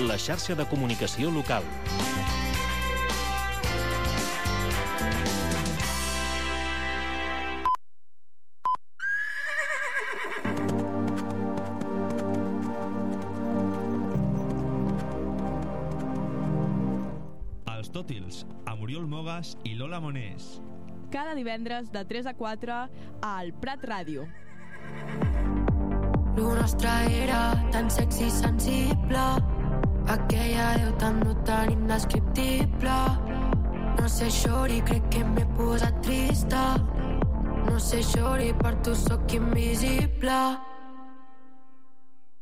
la xarxa de comunicació local. Els Tòtils, amb Oriol Mogas i Lola Monés. Cada divendres de 3 a 4 al Prat Ràdio. Lo nostre era tan sexy i sensible, aquella veu tan brutal i indescriptible. No sé, xori, crec que m'he posat trista. No sé, xori, per tu sóc invisible.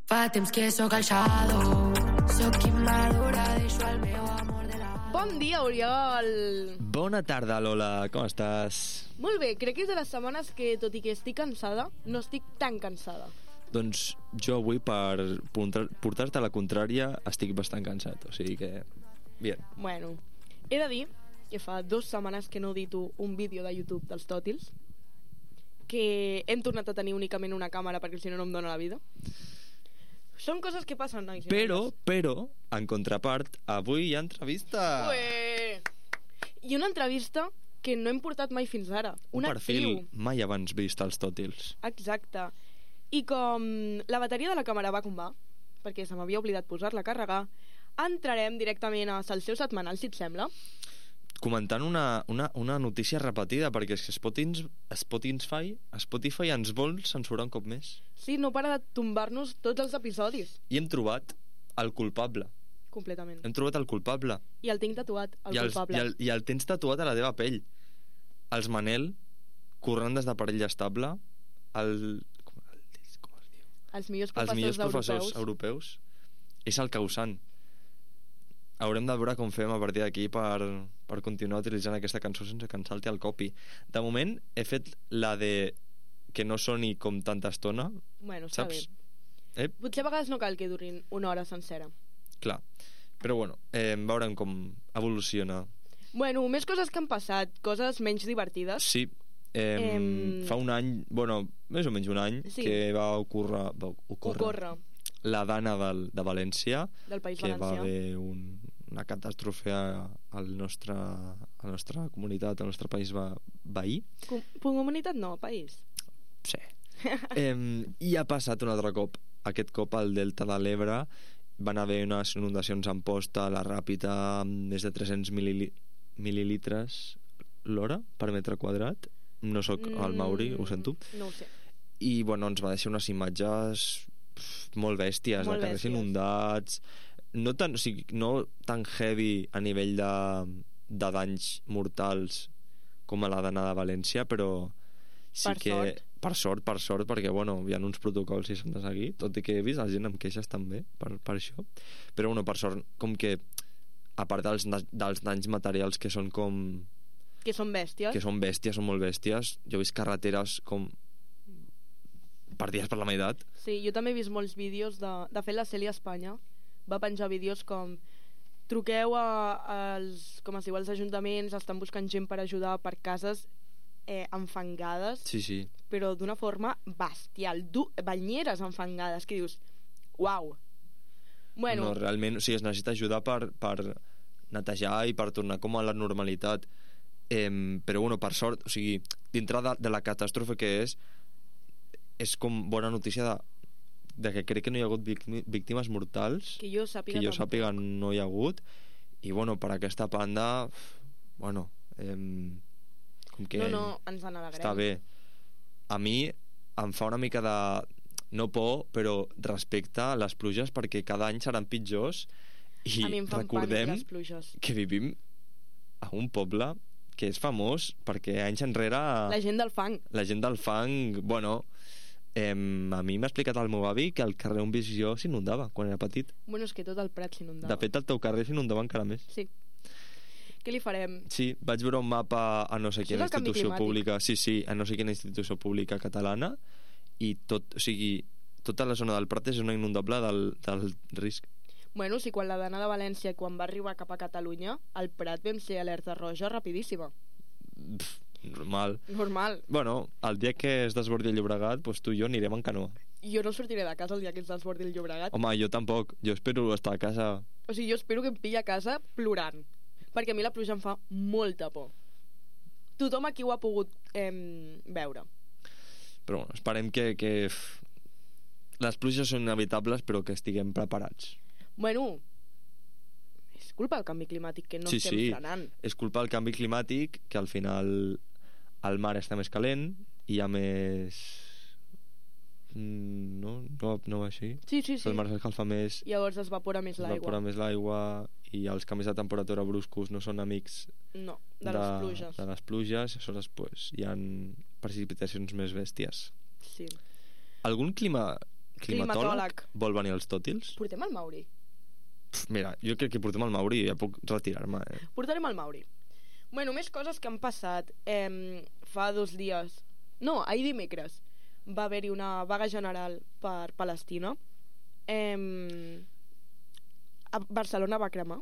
Fa temps que sóc el shadow, sóc immadura, deixo el meu amor de la... Bon dia, Oriol! Bona tarda, Lola, com estàs? Molt bé, crec que és de les setmanes que, tot i que estic cansada, no estic tan cansada. Doncs jo avui, per portar-te la contrària, estic bastant cansat, o sigui que... Bien. Bueno, he de dir que fa 2 setmanes que no edito un vídeo de YouTube dels Tòtils, que hem tornat a tenir únicament una càmera perquè si no em dóna la vida. Són coses que passen, nois. Però, en contrapart, avui hi ha entrevista. Ué! I una entrevista que no hem portat mai fins ara. Un perfil mai abans vist als Tòtils. Exacte. I com la bateria de la càmera va com va, perquè se m'havia oblidat posar-la a carregar, entrarem directament a Salseu Setmanal, si et sembla. Comentant una notícia repetida, perquè és que Spotify ens vol censurar un cop més. Sí, no para de tombar-nos tots els episodis. I hem trobat el culpable. Completament. Hem trobat el culpable. I el tinc tatuat, el culpable. I el tens tatuat a la teva pell. Els Manel, corrent des d'aparell estable, com es diu? Els millors professors europeus. És el causant. Haurem de veure com fem a partir d'aquí per continuar utilitzant aquesta cançó sense que ens salti el copy. De moment he fet la de que no soni com tanta estona. Bueno, està saps? Bé. Potser a vegades no cal que durin una hora sencera. Clar, però bueno, veurem com evoluciona. Bueno, més coses que han passat, coses menys divertides. Sí, fa un any, bueno, més o menys un any, sí, que va ocórrer la Dana de València, del País que Valencià. Va haver una catàstrofe a la nostra comunitat, al nostre país veí. Comunitat no, país. Sí. I ha passat un altre cop. Aquest cop al Delta de l'Ebre van haver unes inundacions en Posta, a la Ràpita, amb més de 300 mil·lilitres l'hora per metre quadrat. No sóc el Mauri, ho sento. No ho sé. I bueno, ens va deixar unes imatges molt bèsties, de carrers inundats, no tan heavy a nivell de danys mortals com a la Dana de València, però sí per sort, perquè bueno, hi ha uns protocols i s'han de seguir, tot i que he vist la gent amb queixes també per això, però bueno, per sort, com que a part dels danys materials que són com... Que són bèsties. Són molt bèsties. Jo he vist carreteres com partides per la meitat. Sí, jo també he vist molts vídeos de fet la Cèlia Espanya va penjar vídeos com truqueu com es diu, als ajuntaments, estan buscant gent per ajudar per cases enfangades, sí. Però d'una forma bestial, banyeres enfangades, que dius uau. Bueno, no, realment, o sigui, es necessita ajudar per netejar i per tornar com a la normalitat, però bueno, per sort, o sigui, dintre de la catàstrofe que és com bona notícia de que crec que no hi ha hagut víctimes mortals, que jo sàpiga no hi ha hagut, i bueno, per aquesta banda bueno, com que no, ens n'alegrem. Està bé. A mi em fa una mica de no por, però respecte a les pluges, perquè cada any seran pitjors, i recordem que vivim a un poble que és famós perquè anys enrere la gent del fang, bueno, a mi m'ha explicat el meu avi que el carrer on visc jo s'inundava quan era petit. Bueno, és que tot el Prat s'inundava. De fet, el teu carrer s'inundava encara més. Sí. Què li farem? Sí, vaig veure un mapa a no sé quina institució pública, a no sé quina institució pública catalana, i tota la zona del Prat és una inundable del risc. Bueno, sí, quan la Dana de València, quan va arribar cap a Catalunya, al Prat vam ser alerta roja rapidíssima. Normal. Normal. Bueno, el dia que es desbordi el Llobregat, doncs tu i jo anirem en canoa. jo no sortiré de casa el dia que ens desbordi el Llobregat. Home, jo tampoc. Jo espero estar a casa. O sigui, jo espero que em pilli a casa plorant, perquè a mi la pluja em fa molta por. Tothom aquí ho ha pogut veure. Però bueno, esperem que les pluges són inevitables, però que estiguem preparats. Bueno, és culpa del canvi climàtic que no estem frenant. És culpa del canvi climàtic, que al final el mar està més calent, i hi ha més... No va així? Sí. El mar s'escalfa més, Llavors es evapora més l'aigua. I els canvis de temperatura bruscos no són amics No, de les pluges. De les pluges, aleshores pues, hi ha precipitacions més bèsties. Sí. Algun climatòleg vol venir als Tòtils? Portem el Mauri. Mira, jo crec que portem el Mauri i ja puc retirar-me. Portarem el Mauri. Bueno, més coses que han passat. Fa 2 dies, no, ahir dimecres, va haver-hi una vaga general per Palestina. A Barcelona va cremar.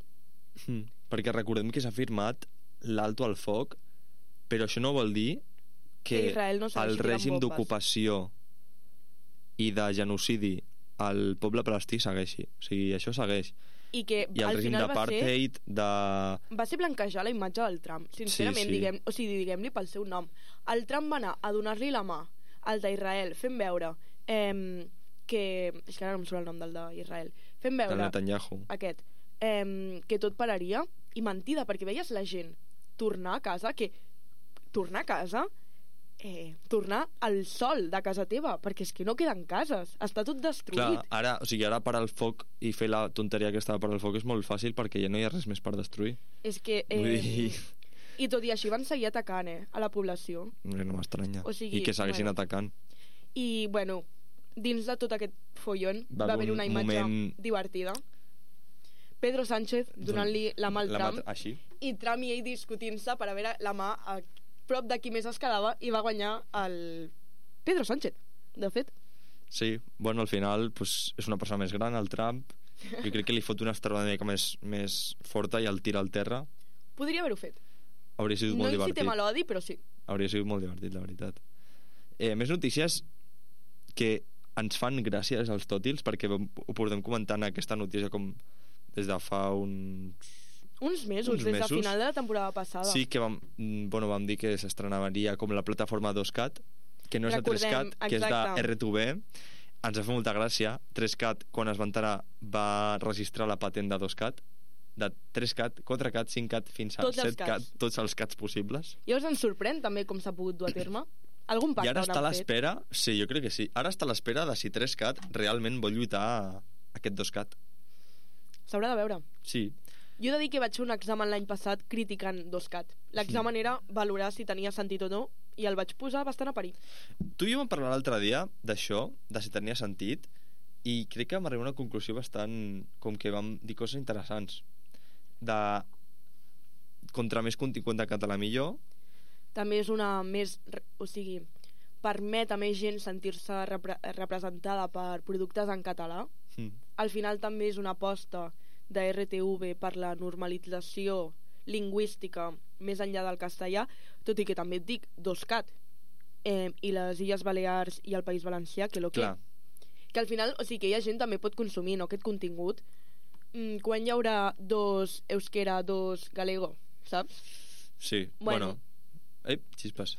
Perquè recordem que s'ha firmat l'alto al foc, però això no vol dir que Israel no el règim d'ocupació i de genocidi al poble palestí segueixi. O sigui, això segueix. I el règim d'apartheid va ser blanquejar la imatge del Trump, sincerament. Sí. Diguem-li pel seu nom. El Trump va anar a donar-li la mà al d'Israel, fent veure que... és que ara no em surt el nom del d'Israel. Fent veure... El Netanyahu. Aquest. Que tot pararia, i mentida, perquè veies la gent tornar a casa, tornar al sol de casa teva, perquè és que no queden cases, està tot destruït. Clar, ara parar el foc i fer la tonteria que estava parar el foc és molt fàcil, perquè ja no hi ha res més per destruir. És que... I tot i així van seguir atacant a la població. No m'estranya. O sigui, I que segueixin atacant. I, bueno, dins de tot aquest follon va haver una imatge divertida. Pedro Sánchez donant-li la mà al Trump, i Trump i ell discutint-se per a veure la mà a prop de qui més es quedava, i va guanyar el Pedro Sánchez, de fet. Sí, bueno, al final pues, és una persona més gran, el Trump. Jo crec que li fot una estarrada una mica més forta i el tira al terra. Podria haver-ho fet. Hauria sigut molt divertit. No incitem a l'odi, però sí. Hauria sigut molt divertit, la veritat. Més notícies que ens fan gràcies als Tòtils, perquè ho portem comentant aquesta notícia com des de fa uns mesos, des de final de la temporada passada. Sí, que vam dir que s'estrenaria com la plataforma 2CAT, que no és de 3CAT, que és de R2B. Ens va fer molta gràcia. 3CAT, quan es va enterar, va registrar la patent de 2CAT, de 3CAT, 4CAT, 5CAT, fins a 7CAT, tots els CATs possibles. Llavors ens sorprèn també com s'ha pogut dur a terme. Algun pacte I ara està a l'espera, sí, jo crec que sí, ara està a l'espera de si 3CAT realment vol lluitar a aquest 2CAT. S'haurà de veure. Sí. Jo he de dir que vaig fer un examen l'any passat criticant 2CAT. L'examen era valorar si tenia sentit o no, i el vaig posar bastant a parir. Tu i jo vam parlar l'altre dia d'això, de si tenia sentit, i crec que vam arribar a una conclusió bastant... com que vam dir coses interessants. De contra més contingut de català millor. També és una més... o sigui, permet a més gent sentir-se representada per productes en català. Al final també és una aposta de RTV per la normalització lingüística més enllà del castellà, tot i que també et dic 2CAT, i les Illes Balears i el País Valencià, que al final, o sigui, que hi ha gent també pot consumir, no, aquest contingut. Quan hi haurà 2 euskera, 2 galego, saps? Sí, bueno. Xispas.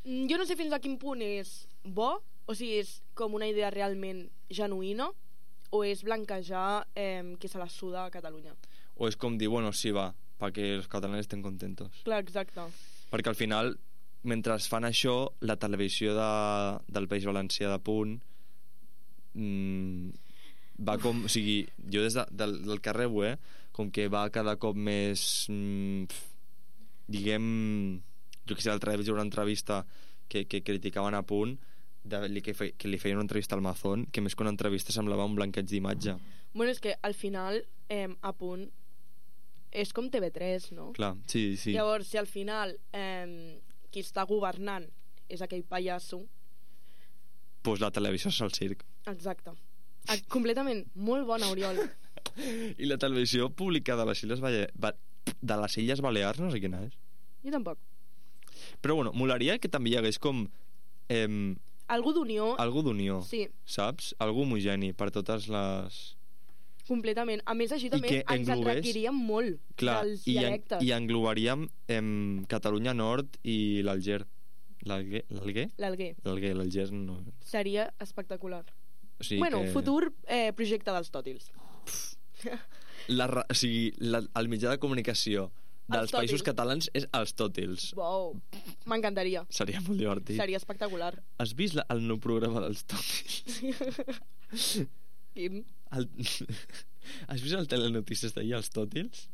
Jo no sé fins a quin punt és bo, o sigui, és com una idea realment genuïna, o és blanquejar que se la suda a Catalunya. O és com dir, bueno, sí, va, perquè els catalans estem contentos. Clar, exacte. Perquè al final, mentre fan això, la televisió del País Valencià de Punt va com... O sigui, jo des del carrer, com que va cada cop més... diguem... Jo que sé, l'altre dia vaig veure una entrevista que criticaven a Punt, que li feien una entrevista al Mazón, que més que una entrevista semblava un blanqueig d'imatge. Bueno, és que al final a Punt és com TV3, no? Clar, sí. Llavors, si al final qui està governant és aquell pallasso, pues la televisió és el circ. Exacte. Completament. Molt bona, Oriol. I la televisió pública de les Illes Balears no sé quina és. Jo tampoc. Però bueno, molaria que també hi hagués com Algú d'unió. Algú d'unió, Sí, saps? Algú homogeni per totes les... completament. A més, així I també que ens enriquiríem molt Clar, dels dialectes. i englobaríem Catalunya Nord i l'Alger. L'Alguer? L'Alguer. L'Alger no... Seria espectacular. O sigui Bueno, que... futur projecte dels tòtils. O sigui, el mitjà de comunicació dels Els països tòtils. catalans és els tòtils. Wow, m'encantaria. Seria molt divertit. Seria espectacular. Has vist el nou programa dels tòtils? Quin? Has vist el telenotícies d'ahir, els tòtils?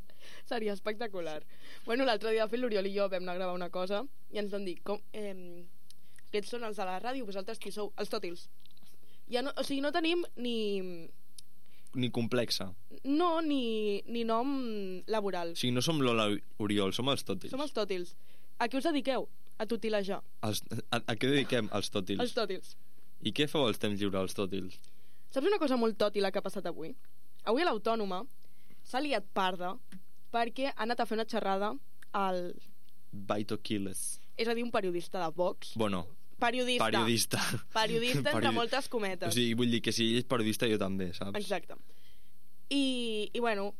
Seria espectacular. Bueno, l'altre dia, de fet, l'Oriol i jo vam anar a gravar una cosa i ens van dir, aquests són els de la ràdio, vosaltres qui sou? Els tòtils. Ja no, o sigui, no tenim Ni complexa. No, ni nom laboral. O sigui, no som Lola Oriol, som els tòtils. Som els tòtils. A què us dediqueu? A tutilejar. A què dediquem els tòtils? Els tòtils. I què feu als temps lliures, els tòtils? Saps una cosa molt tòtila que ha passat avui? Avui a l'Autònoma s'ha liat parda perquè ha anat a fer una xerrada al... Baito Quiles. És a dir, un periodista de Vox. Bueno, Periodista. Periodista Entre moltes cometes. O sigui, vull dir que si ell és periodista, jo també, saps? Exacte. I bueno,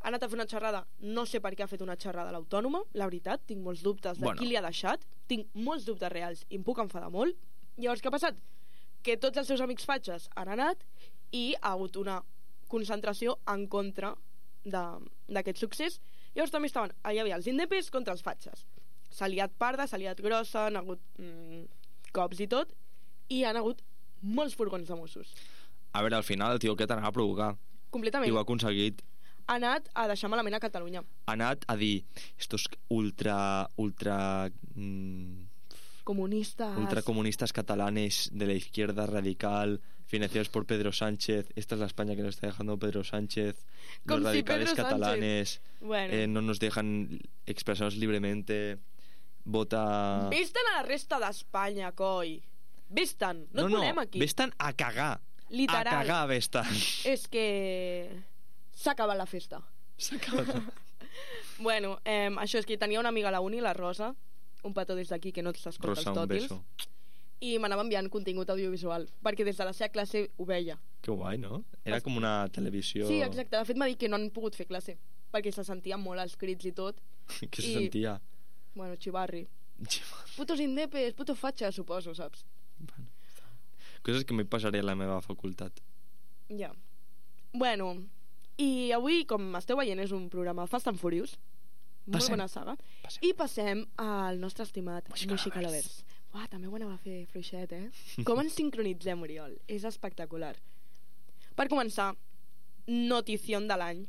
ha anat a fer una xerrada. No sé per què ha fet una xerrada a l'Autònoma, la veritat, tinc molts dubtes de qui li ha deixat. Tinc molts dubtes reals i em puc enfadar molt. Llavors, què ha passat? Que tots els seus amics fatxes han anat i ha hagut una concentració en contra d'aquest succés. Llavors també hi havia els indepes contra els fatxes. S'ha liat parda, s'ha liat grossa, han hagut cops i tot, i han hagut molts furgons de Mossos. A veure, al final el tio aquest anava a provocar. Completament. I ho ha aconseguit. Ha anat a deixar malament a Catalunya. Ha anat a dir estos ultracomunistas catalanes de la izquierda radical financiados por Pedro Sánchez, esta es la España que nos está dejando Pedro Sánchez, los radicales catalanes no nos dejan expresarnos libremente, vota... Vés-te'n a la resta d'Espanya, coi. Vés-te'n, no et volem aquí. Vés-te'n a cagar. Literal. A cagar, vés-te'n. És que s'ha acabat la festa. S'ha acabat. Bueno, això és que tenia una amiga a la uni, la Rosa, un petó des d'aquí que no s'escolta els tòtils. Rosa, un beso. I m'anava enviant contingut audiovisual, perquè des de la seva classe ho veia. Que guai, no? Era com una televisió... Sí, exacte. De fet, m'ha dit que no han pogut fer classe, perquè se sentia molt els crits i tot. Què se sentia? Bueno, xivarri. Putos indepes, putos fatxes, suposo, saps? Bueno, coses que m'hi passaré a la meva facultat. Ja. Bueno, i avui, com esteu veient, és un programa Fast and Furious. Molt bona saga. I passem al nostre estimat Musicalovers. Uah, també ho anava a fer fluixet, Com ens sincronitzem, Oriol? És espectacular. Per començar, notició de l'any.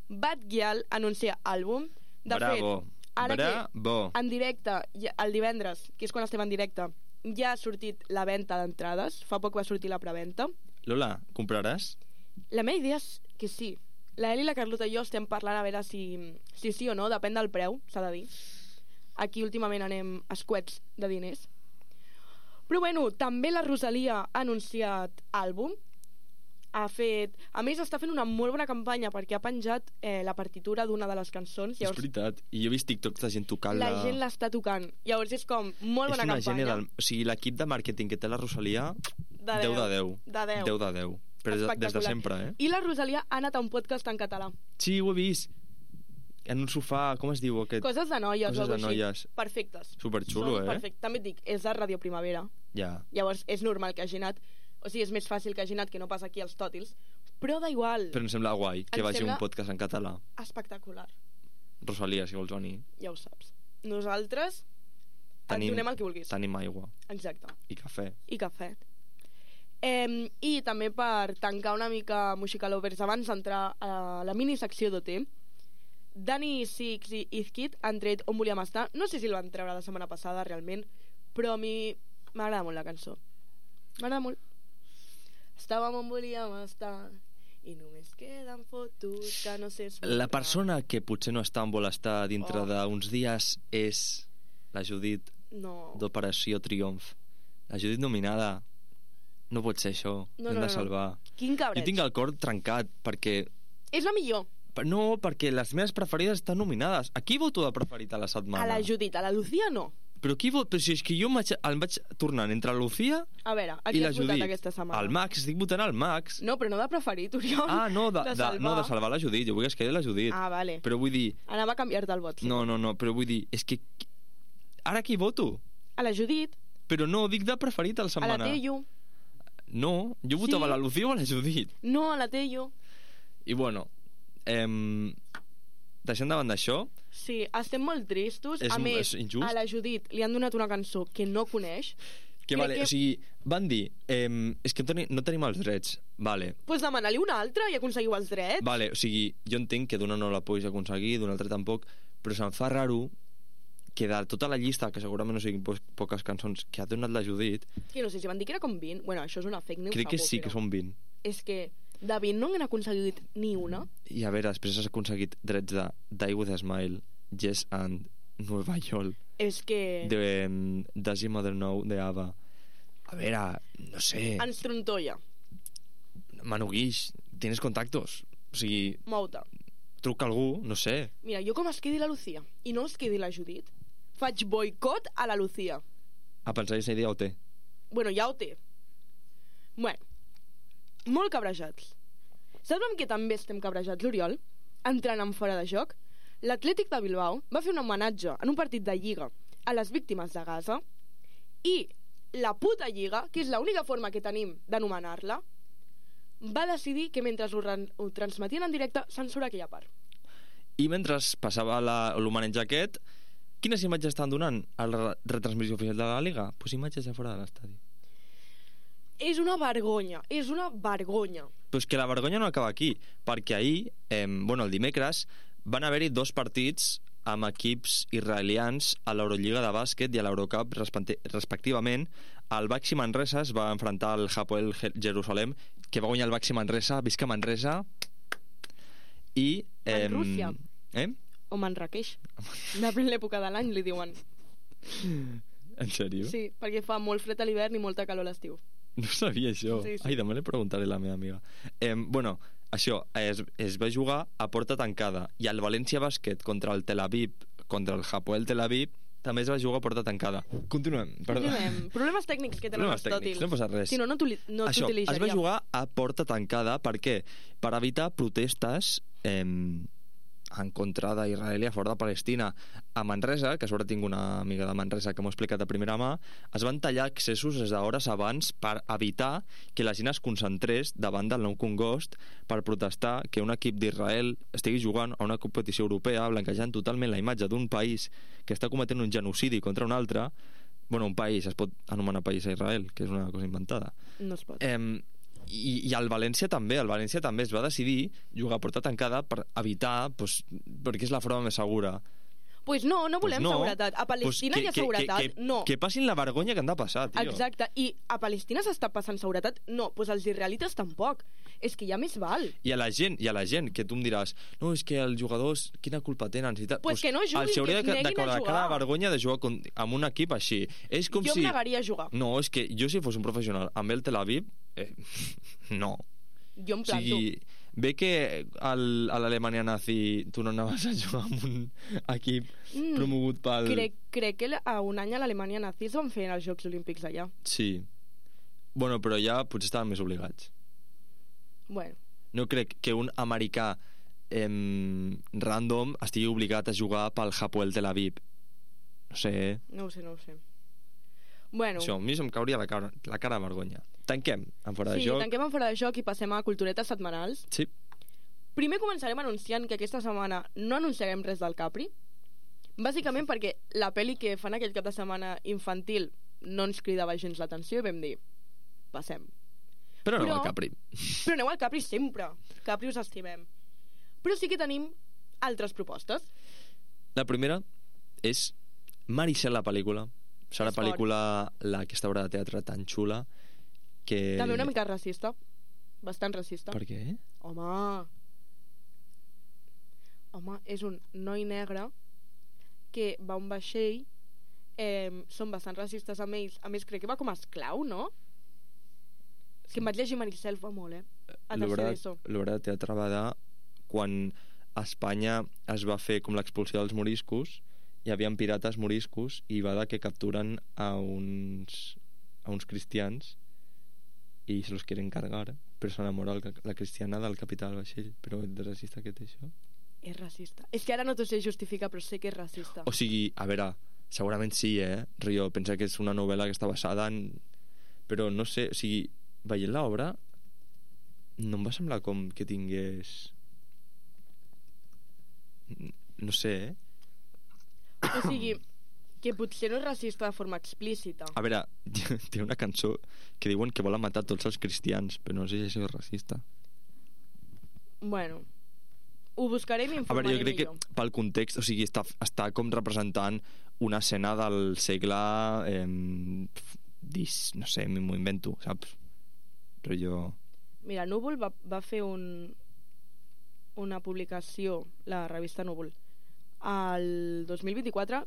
Bad Gyal anuncia àlbum. De Bravo. fet, ara Bravo. que en directe, el divendres, que és quan estem en directe, ja ha sortit la venda d'entrades. Fa poc va sortir la preventa. Lola, compraràs? La meva idea és que sí. La Eli, la Carlota i jo estem parlant a veure si sí o no, depèn del preu, s'ha de dir. Aquí últimament anem escuets de diners. Però bueno, també la Rosalia ha anunciat àlbum. A més, està fent una molt bona campanya perquè ha penjat la partitura d'una de les cançons. Llavors, és veritat. I jo he vist TikToks de gent tocant-la. La gent l'està tocant. Llavors és com molt bona campanya. O sigui, l'equip de màrqueting que té la Rosalia, 10 de 10. De 10. 10 de 10. Però des de sempre, I la Rosalia ha anat a un podcast en català. Sí, ho he vist. En un sofà, com es diu aquest? Coses de noies. Coses de noies. Perfectes. Superxulo, Perfecte. També et dic, és de Ràdio Primavera. Ja. Llavors és normal que hagi anat. O sigui, és més fàcil que hagi anat que no pas aquí als tòtils. Però da igual. Però em sembla guai que vagi un podcast en català. Espectacular. Rosalia, si vols venir. Ja ho saps. Nosaltres et donem el que vulguis. Tenim aigua. Exacte. I cafè. I també per tancar una mica Musicalovers abans d'entrar a la minisecció d'OT, Dani Six i Izquid han tret On volíem estar. No sé si el van treure la setmana passada realment, però a mi m'agrada molt la cançó. M'agrada molt. Estàvem on volíem estar i només queden fotos que no sé explicar. La persona que potser no està on vol estar dintre d'uns dies és la Judit d'Operació Triomf. La Judit nominada. No pot ser això. Hem de salvar. Quin cabreig. Jo tinc el cor trencat perquè... És la millor. No, perquè les meves preferides estan nominades. A qui voto de preferit a la setmana? A la Judit, a la Lucía no. Però si és que jo em vaig tornant entre la Lucía A veure, a i qui la has votat Judit. aquesta setmana? Al Max, estic votant al Max. No, però no de preferit, Oriol. No, de salvar la Judit. Jo vull que es quedi la Judit. Vale. Però vull dir... Anava a canviar-te el vot. No, però vull dir... És que... Ara qui voto? A la Judit. Però no, dic de preferit a la setmana. A la Teio. No, jo votava a la Lucía o a la Judit. No, a la Teio. I bueno, deixant davant d'això... Sí, estem molt tristos. A més, és injust. a la Judit li han donat una cançó que no coneix. O sigui, van dir és que no tenim els drets. Vale. Pues demana-li una altra i aconseguiu els drets. Vale, o sigui, jo entenc que d'una no la puguis aconseguir, d'una altra tampoc, però se'm fa raro que de tota la llista, que segurament no siguin poques cançons que ha donat la Judit... Que no sé si van dir que era com 20. Bueno, això és una fake news. Crec que sí, que són 20. És que de 20 no n'han aconseguit ni una. I a veure, després has aconseguit drets de Die With a Smile, Yes and Nueva York. És que... De Does Your Mother Know, de ABBA. A veure, no sé... Ens trontolla. Manu Guix, tienes contactos. O sigui... Mou-te. Truca algú, no sé. Mira, jo com es quedi la Lucía i no es quedi la Judit, faig boicot a la Lucía. A pensar que aquesta idea ho té. Bueno, ja ho té. Bueno, molt cabrejats. Saps amb què també estem cabrejats, l'Oriol? Entrant en fora de joc, l'Atlètic de Bilbao va fer un homenatge en un partit de Lliga a les víctimes de Gaza i la puta Lliga, que és l'única forma que tenim d'anomenar-la, va decidir que mentre ho transmetien en directe censura aquella part. I mentre passava l'homenatge aquest, quines imatges estan donant a la retransmissió oficial de la Liga? Pues imatges de fora de l'estadi. És una vergonya, és una vergonya. Però és que la vergonya no acaba aquí, perquè ahir, el dimecres, van haver-hi 2 partits amb equips israelians a l'Eurolliga de bàsquet i a l'Eurocup respectivament. El Baxi Manresa es va enfrontar al Hapoel Jerusalem, que va guanyar el Baxi Manresa, visca Manresa. I Manrússia. O Manraqueix. Depèn l'època de l'any, li diuen. En sèrio? Sí, perquè fa molt fred a l'hivern i molta calor a l'estiu. No sabia això. Sí. Ai, demà li preguntaré a la meva amiga. Això, es va jugar a porta tancada i el València Bàsquet contra el Tel Aviv, contra el Hapoel Tel Aviv, també es va jugar a porta tancada. Continuem. Problemes tècnics que tenen els tòtils. No passa res. Si no, no t'utilitzaria. Això, es va jugar a porta tancada. Per què? Per evitar protestes en contra d'Israel i a favor de Palestina. A Manresa, que a sobre tinc una amiga de Manresa que m'ho ha explicat a primera mà, es van tallar accessos des d'hores abans per evitar que la gent es concentrés davant del Nou Congost per protestar que un equip d'Israel estigui jugant a una competició europea blanquejant totalment la imatge d'un país que està cometent un genocidi contra un altre. Bueno, un país, es pot anomenar país a Israel, que és una cosa inventada. No es pot. I el València també es va decidir jugar a porta tancada per evitar, perquè és la forma més segura. Pues no volem seguretat. A Palestina hi ha seguretat, no. Que passin la vergonya que han de passar, tio. Exacte, i a Palestina s'està passant seguretat, no, doncs els israelites tampoc. És que ja més val. I a la gent, que tu em diràs, no, és que els jugadors, quina culpa tenen? Pues que no juguin, que es neguin a jugar. Cada vergonya de jugar amb un equip així. És com jo em negaria a jugar. No, és que jo si fos un professional amb el Tel Aviv, no. Jo em planto. O sigui, ve que a l'Alemanya nazi tu no anaves a jugar amb un equip promogut pel... Crec que a un any a l'Alemanya nazi es van fer els Jocs Olímpics allà. Sí. Bueno, però ja potser estaven més obligats. Bueno. No crec que un americà random estigui obligat a jugar pel Hapoel Tel Aviv. No sé. No ho sé. Bueno. Això, a mi se'm cauria la cara de vergonya. Tanquem en fora de joc. Sí, tanquem en fora de joc i passem a culturetes setmanals. Sí. Primer començarem anunciant que aquesta setmana no anunciarem res del Capri, bàsicament perquè la pel·li que fan aquell cap de setmana infantil no ens cridava gens l'atenció i vam dir, passem. Però aneu al Capri. Però aneu al Capri sempre. Capri us estimem. Però sí que tenim altres propostes. La primera és Maricel, la pel·lícula. Serà la pel·lícula aquesta obra de teatre tan xula que... També una mica racista. Bastant racista. Per què? Home, és un noi negre que va a un vaixell, són bastant racistes amb ells. A més, crec que va com a esclau, no? És que em vaig llegir Maricel fa molt, a tercer d'ESO. L'obra de teatre va de quan a Espanya es va fer com l'expulsió dels moriscos hi havia pirates moriscos i va de que capturen a uns cristians i se los quieren cargar, però s'enamora la cristiana del capità del vaixell. Però de racista que té això? És racista. És que ara no t'ho sé justificar, però sé que és racista. O sigui, a veure, segurament sí, Rio, pensa que és una novel·la que està basada en... Però no sé, o sigui, veient l'obra no em va semblar com que tingués... No sé, O sigui, que potser no és racista de forma explícita. A veure, té una cançó que diuen que volen matar tots els cristians, però no sé si això és racista. Bueno, ho buscaré i A m'informaré veure, jo crec millor. que pel context, o sigui, està com representant una escena del segle no sé, m'ho invento, saps? Però jo... Mira, Núvol va fer una publicació, la revista Núvol, al 2024,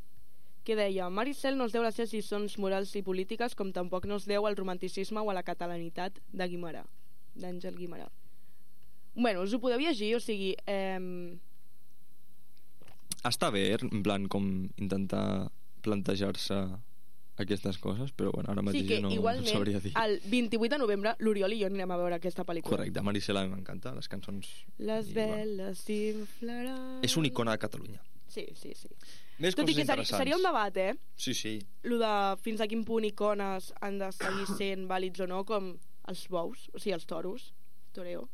que deia: Maricel no es deu les seves lliçons morals i polítiques, com tampoc no es deu al romanticisme o a la catalanitat de Guimerà, d'Àngel Guimerà. Bueno, us ho podeu llegir, o sigui... Està bé, en plan, com intentar plantejar-se aquestes coses, però bueno, ara mateix Sí, que no sabria igualment, dir. el 28 de novembre, l'Oriol i jo anirem a veure aquesta pel·lícula. Correcte, Maricel a mi m'encanta, les cançons... Les I, veles s'inflaran... És una icona de Catalunya. Sí. Més Tot i coses que interessants. seria un debat, Sí. Lo de fins a quin punt icones han de seguir sent vàlids o no, com els bous, o sigui, els toros, toreo.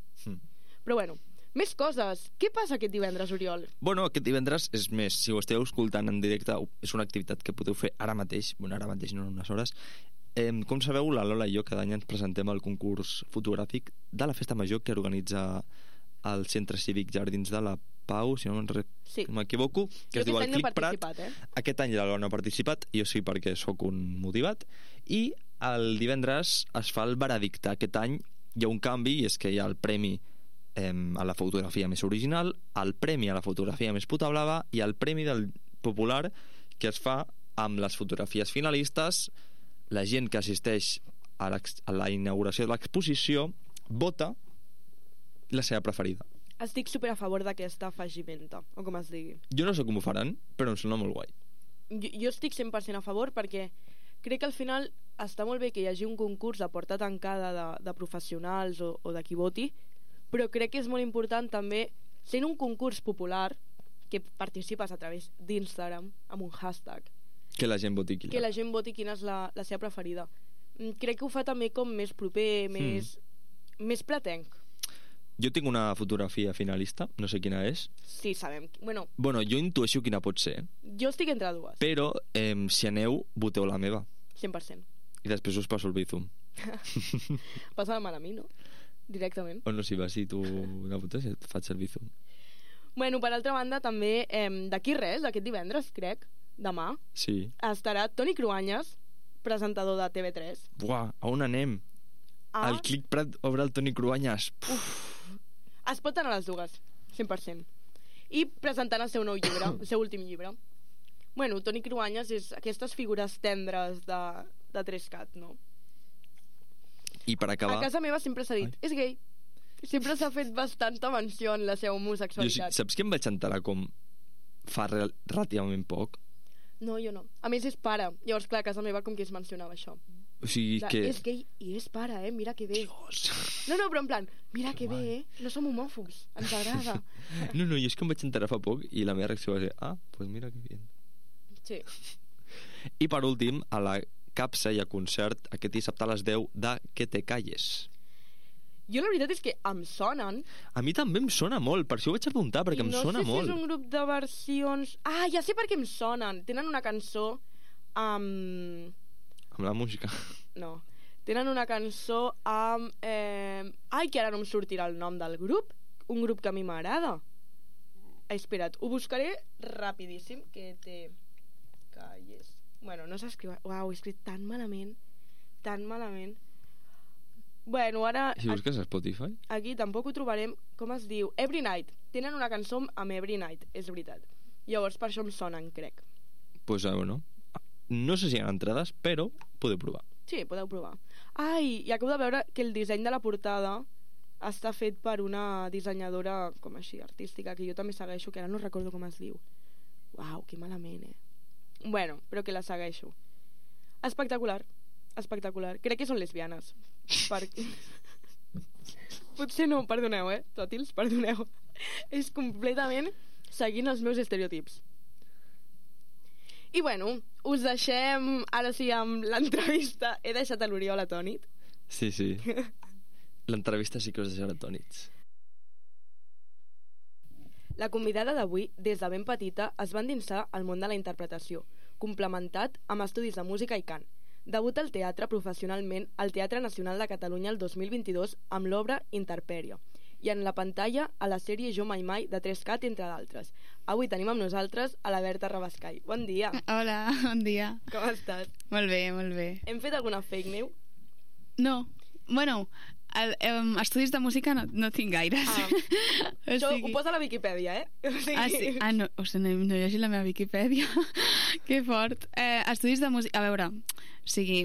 Però bueno, més coses. Què passa aquest divendres, Oriol? Bueno, aquest divendres és més, si ho esteu escoltant en directe, és una activitat que podeu fer ara mateix, no en unes hores. Com sabeu, la Lola i jo cada any ens presentem al concurs fotogràfic de la Festa Major que organitza el Centre Cívic Jardins de la Pau, si no m'equivoco, que es diu el Clic Prat. Aquest any la Lola no ha participat, jo sí perquè sóc un motivat, i el divendres es fa el veredicte. Aquest any hi ha un canvi, i és que hi ha el premi a la fotografia més original, el premi a la fotografia més puta blava i el premi del popular, que es fa amb les fotografies finalistes. La gent que assisteix a la inauguració de l'exposició vota la seva preferida. Estic super a favor d'aquesta afegimenta, o com es digui. Jo no sé com ho faran, però em sembla molt guai. Jo estic 100% a favor perquè crec que al final està molt bé que hi hagi un concurs de porta tancada de professionals o de qui voti, però crec que és molt important també, sent un concurs popular, que participes a través d'Instagram amb un hashtag, que la gent voti quina és la seva preferida. Crec que ho fa també com més proper, més pretenc. Jo tinc una fotografia finalista, no sé quina és. Sí, sabem. Bueno, jo intueixo quina pot ser. Jo estic entre dues. Però, si aneu, voteu la meva. 100%. I després us passo el Bizum. Passa-me a mi, no? Directament. O no, si vas i tu una foto, et faig el Bizum. Bueno, per altra banda, també, d'aquí res, aquest divendres, crec, demà, sí, estarà Toni Cruanyes, presentador de TV3. Buah, a on anem? El Clic Prat obre el Toni Cruanyes. Es pot anar a les dues, 100%. I presentant el seu nou llibre, el seu últim llibre. Bueno, Toni Cruanyes és aquestes figures tendres de 3CAT, no? I per acabar... A casa meva sempre s'ha dit, és gay. Sempre s'ha fet bastanta menció en la seva homosexualitat. Saps que em vaig enterar com fa relativament poc? No, jo no. A més, és pare. Llavors, clar, a casa meva com que es mencionava això. O sigui que... És gay i és pare, mira que bé. Dios. No, però en plan, mira que bé, no som homòfobs, ens agrada. No, jo és que em vaig enterar fa poc i la meva reacció va ser, pues mira que bé. Sí. I per últim, a la Capsa hi ha concert aquest dissabte a les 10 de Que te calles. Jo la veritat és que em sonen. A mi també em sona molt, per això ho vaig apuntar, perquè em sona molt. No sé si és un grup de versions... Ja sé per què em sonen. Tenen una cançó amb... Amb la música. No. Tenen una cançó amb... que ara no em sortirà el nom del grup. Un grup que a mi m'agrada. Espera't, ho buscaré rapidíssim. Que te calles. Bueno, no s'escriu... Uau, he escrit tan malament. Bueno, ara... Si busques a Spotify? Aquí tampoc ho trobarem. Com es diu? Every Night. Tenen una cançó amb Every Night, és veritat. Llavors per això em sonen, crec. Pues bueno, no sé si hi ha entrades, però podeu provar. Sí, podeu provar. I acabo de veure que el disseny de la portada està fet per una dissenyadora com així, artística, que jo també segueixo, que ara no recordo com es diu. Uau, que malament, Bueno, però que la segueixo. Espectacular. Crec que són lesbianes. Potser no, perdoneu, tòtils, perdoneu. És completament seguint els meus estereotips. I bueno, us deixem ara sí amb l'entrevista. He deixat a l'Oriol atònit. Sí. L'entrevista sí que us deixarà atònits. La convidada d'avui, des de ben petita, es va endinsar al món de la interpretació, complementat amb estudis de música i cant. Debuta al teatre professionalment al Teatre Nacional de Catalunya el 2022 amb l'obra Interperio i en la pantalla a la sèrie Jo Mai Mai de 3CAT, entre d'altres. Avui tenim amb nosaltres a la Berta Rabascai. Bon dia. Hola, bon dia. Com estàs? Molt bé, molt bé. Hem fet alguna fake news? No, bueno, estudis de música no tinc gaires. Això ho posa a la Viquipèdia, sí? No, no he llegit la meva Viquipèdia. Que fort. Estudis de música, a veure,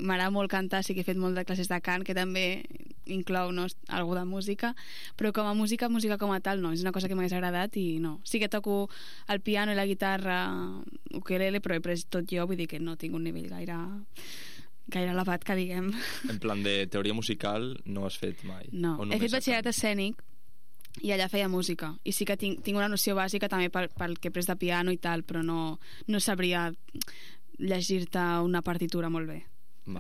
m'agrada molt cantar, sí que he fet molt de classes de cant, que també inclou algú de música, però com a música com a tal no, és una cosa que m'hagués agradat i no. Sí que toco el piano i la guitarra, ukelele, però he pres tot jo, vull dir que no tinc un nivell gaire elevat, que diguem. En plan de teoria musical no has fet mai? No, he fet batxillerat escènic i allà feia música, i sí que tinc una noció bàsica també pel que he pres de piano i tal, però no sabria llegir-te una partitura molt bé.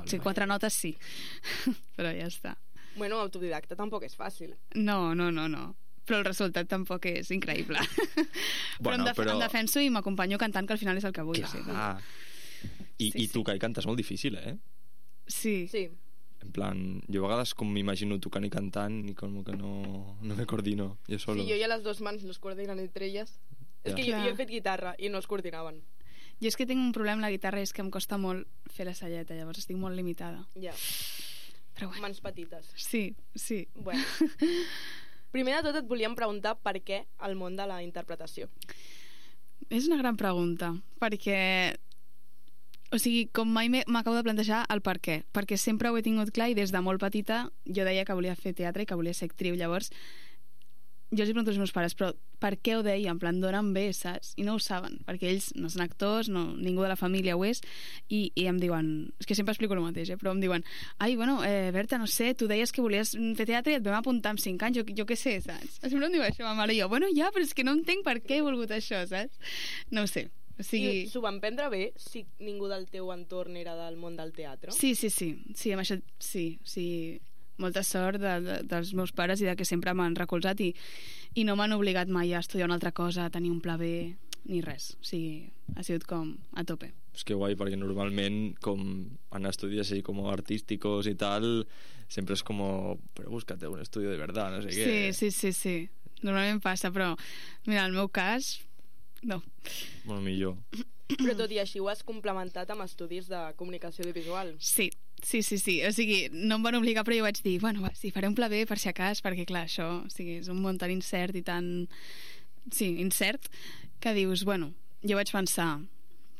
Sí, 4 notes sí, però ja està. Bueno, autodidacta tampoc és fàcil. No, però el resultat tampoc és increïble. Bueno, però em defenso i m'acompanyo cantant, que al final és el que vull. Clar. I tocar i cantar és molt difícil, Sí. En plan, jo a vegades com m'imagino tocant i cantant i com que no me coordino jo solo. Sí, jo ja les dues mans no es coordinen entre elles. És que jo he fet guitarra i no es coordinaven. Jo és que tinc un problema amb la guitarra, és que em costa molt fer la celleta, llavors estic molt limitada. Ja. Però bueno. Mans petites. Sí. Bueno. Primer de tot et volíem preguntar per què el món de la interpretació. És una gran pregunta, perquè com mai m'acabo de plantejar el per què, perquè sempre ho he tingut clar i des de molt petita jo deia que volia fer teatre i que volia ser actriu. Llavors jo els pregunto als meus pares, però per què ho deia? En plan, d'on em ve, saps? I no ho saben, perquè ells no són actors, ningú de la família ho és, i em diuen, és que sempre explico el mateix, però em diuen, Berta, no sé, tu deies que volies fer teatre i et vam apuntar amb 5 anys, jo què sé, saps? Sempre em diu això, ma mare, i jo, ja, però és que no entenc per què he volgut això, saps? No ho sé. I s'ho van prendre bé si ningú del teu entorn era del món del teatre? Sí, amb això sí. Molta sort dels meus pares i de que sempre m'han recolzat i no m'han obligat mai a estudiar una altra cosa, a tenir un pla B ni res, ha sigut com a tope. És que guai, perquè normalment com en estudis així com artísticos i tal, sempre és com però búscate un estudio de verdad, no sé què. Sí, normalment passa, però mira, en el meu cas no. Bueno, millor. Però tot i així ho has complementat amb estudis de comunicació audiovisual. Sí, no em van obligar, però jo vaig dir, faré un pla B per si acas, perquè clar, això és un món tan incert i tan incert, que dius, jo vaig pensar,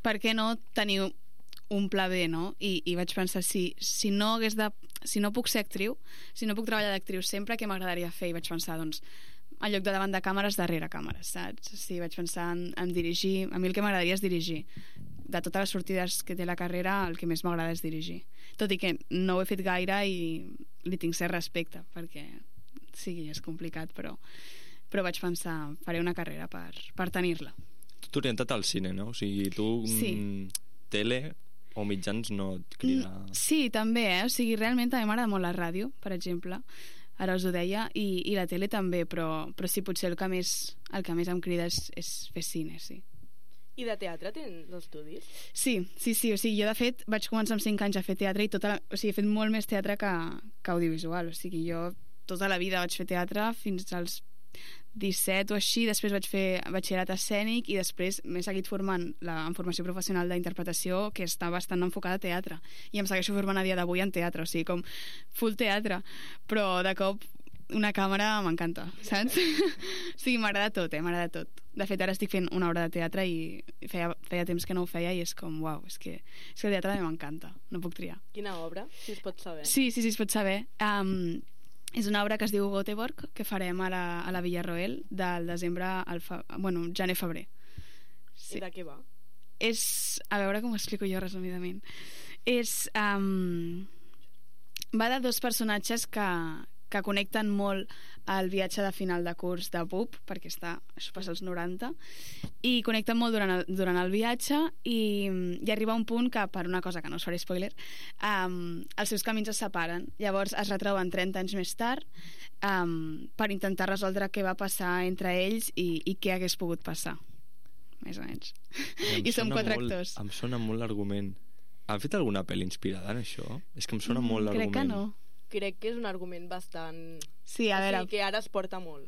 per què no tenir un pla B, no? I vaig pensar, si no puc ser actriu, si no puc treballar d'actriu sempre, què m'agradaria fer? I vaig pensar, en lloc de davant de càmeres, darrere càmeres, saps? Sí, vaig pensar en dirigir. A mi el que m'agradaria és dirigir. De totes les sortides que té la carrera, el que més m'agrada és dirigir. Tot i que no ho he fet gaire i li tinc cert respecte, perquè és complicat, però vaig pensar, faré una carrera per tenir-la. Tu t'has orientat al cine, no? O sigui, tu tele o mitjans no et crida... Sí, també, realment també m'agrada molt la ràdio, per exemple. Ara us ho deia, i la tele també, però sí, potser el que més em crida és fer cine, sí. I de teatre tens estudis? Sí, o sigui, jo de fet vaig començar amb 5 anys a fer teatre i he fet molt més teatre que audiovisual, o sigui, jo tota la vida vaig fer teatre fins als 17 o així, després vaig fer batxillerat escènic i després m'he seguit formant en formació professional d'interpretació, que està bastant enfocada a teatre, i em segueixo formant a dia d'avui en teatre, o sigui, com full teatre, però de cop una càmera m'encanta, saps? O sigui, m'agrada tot, m'agrada tot. De fet, ara estic fent una obra de teatre i feia temps que no ho feia i és com, uau, és que el teatre m'encanta, no puc triar. Quina obra, si es pot saber? Sí, es pot saber. És una obra que es diu Göteborg, que farem a la Villarroel del desembre al gener-febrer. Sí. I de què va? és... A veure com ho explico jo resumidament. És... va de dos personatges que connecten molt al viatge de final de curs de BUP, perquè això passa als 90, i connecten molt durant el viatge i arriba un punt que, per una cosa que no us faré spoiler, els seus camins es separen. Llavors es retroben 30 anys més tard per intentar resoldre què va passar entre ells i què hagués pogut passar, més o menys. I som 4 actors. Em sona molt l'argument. Han fet alguna pel·li inspirada en això? És que em sona molt l'argument. Crec que no. Crec que és un argument bastant... Sí, a veure... O sigui, que ara es porta molt.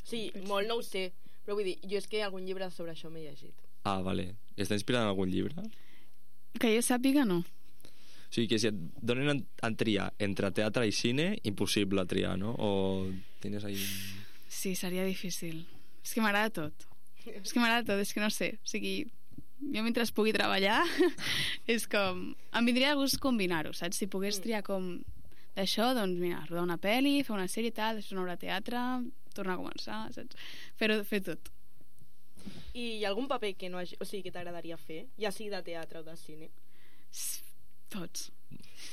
Sí, molt no ho sé, però vull dir, jo és que algun llibre sobre això m'he llegit. Ah, vale. Està inspirada en algun llibre? Que jo sàpiga, no. O sigui, que si et donen a triar entre teatre i cine, impossible triar, no? O tens ahí... Sí, seria difícil. És que m'agrada tot. És que no sé. O sigui, jo mentre pugui treballar és com... Em vindria de gust combinar-ho, saps? Si pogués triar com d'això, doncs mira, rodar una pel·li, fer una sèrie i tal, després una obra de teatre, tornar a començar, saps? Fer tot. I hi ha algun paper que no hagi... O sigui, que t'agradaria fer? Ja sigui de teatre o de cine? Tots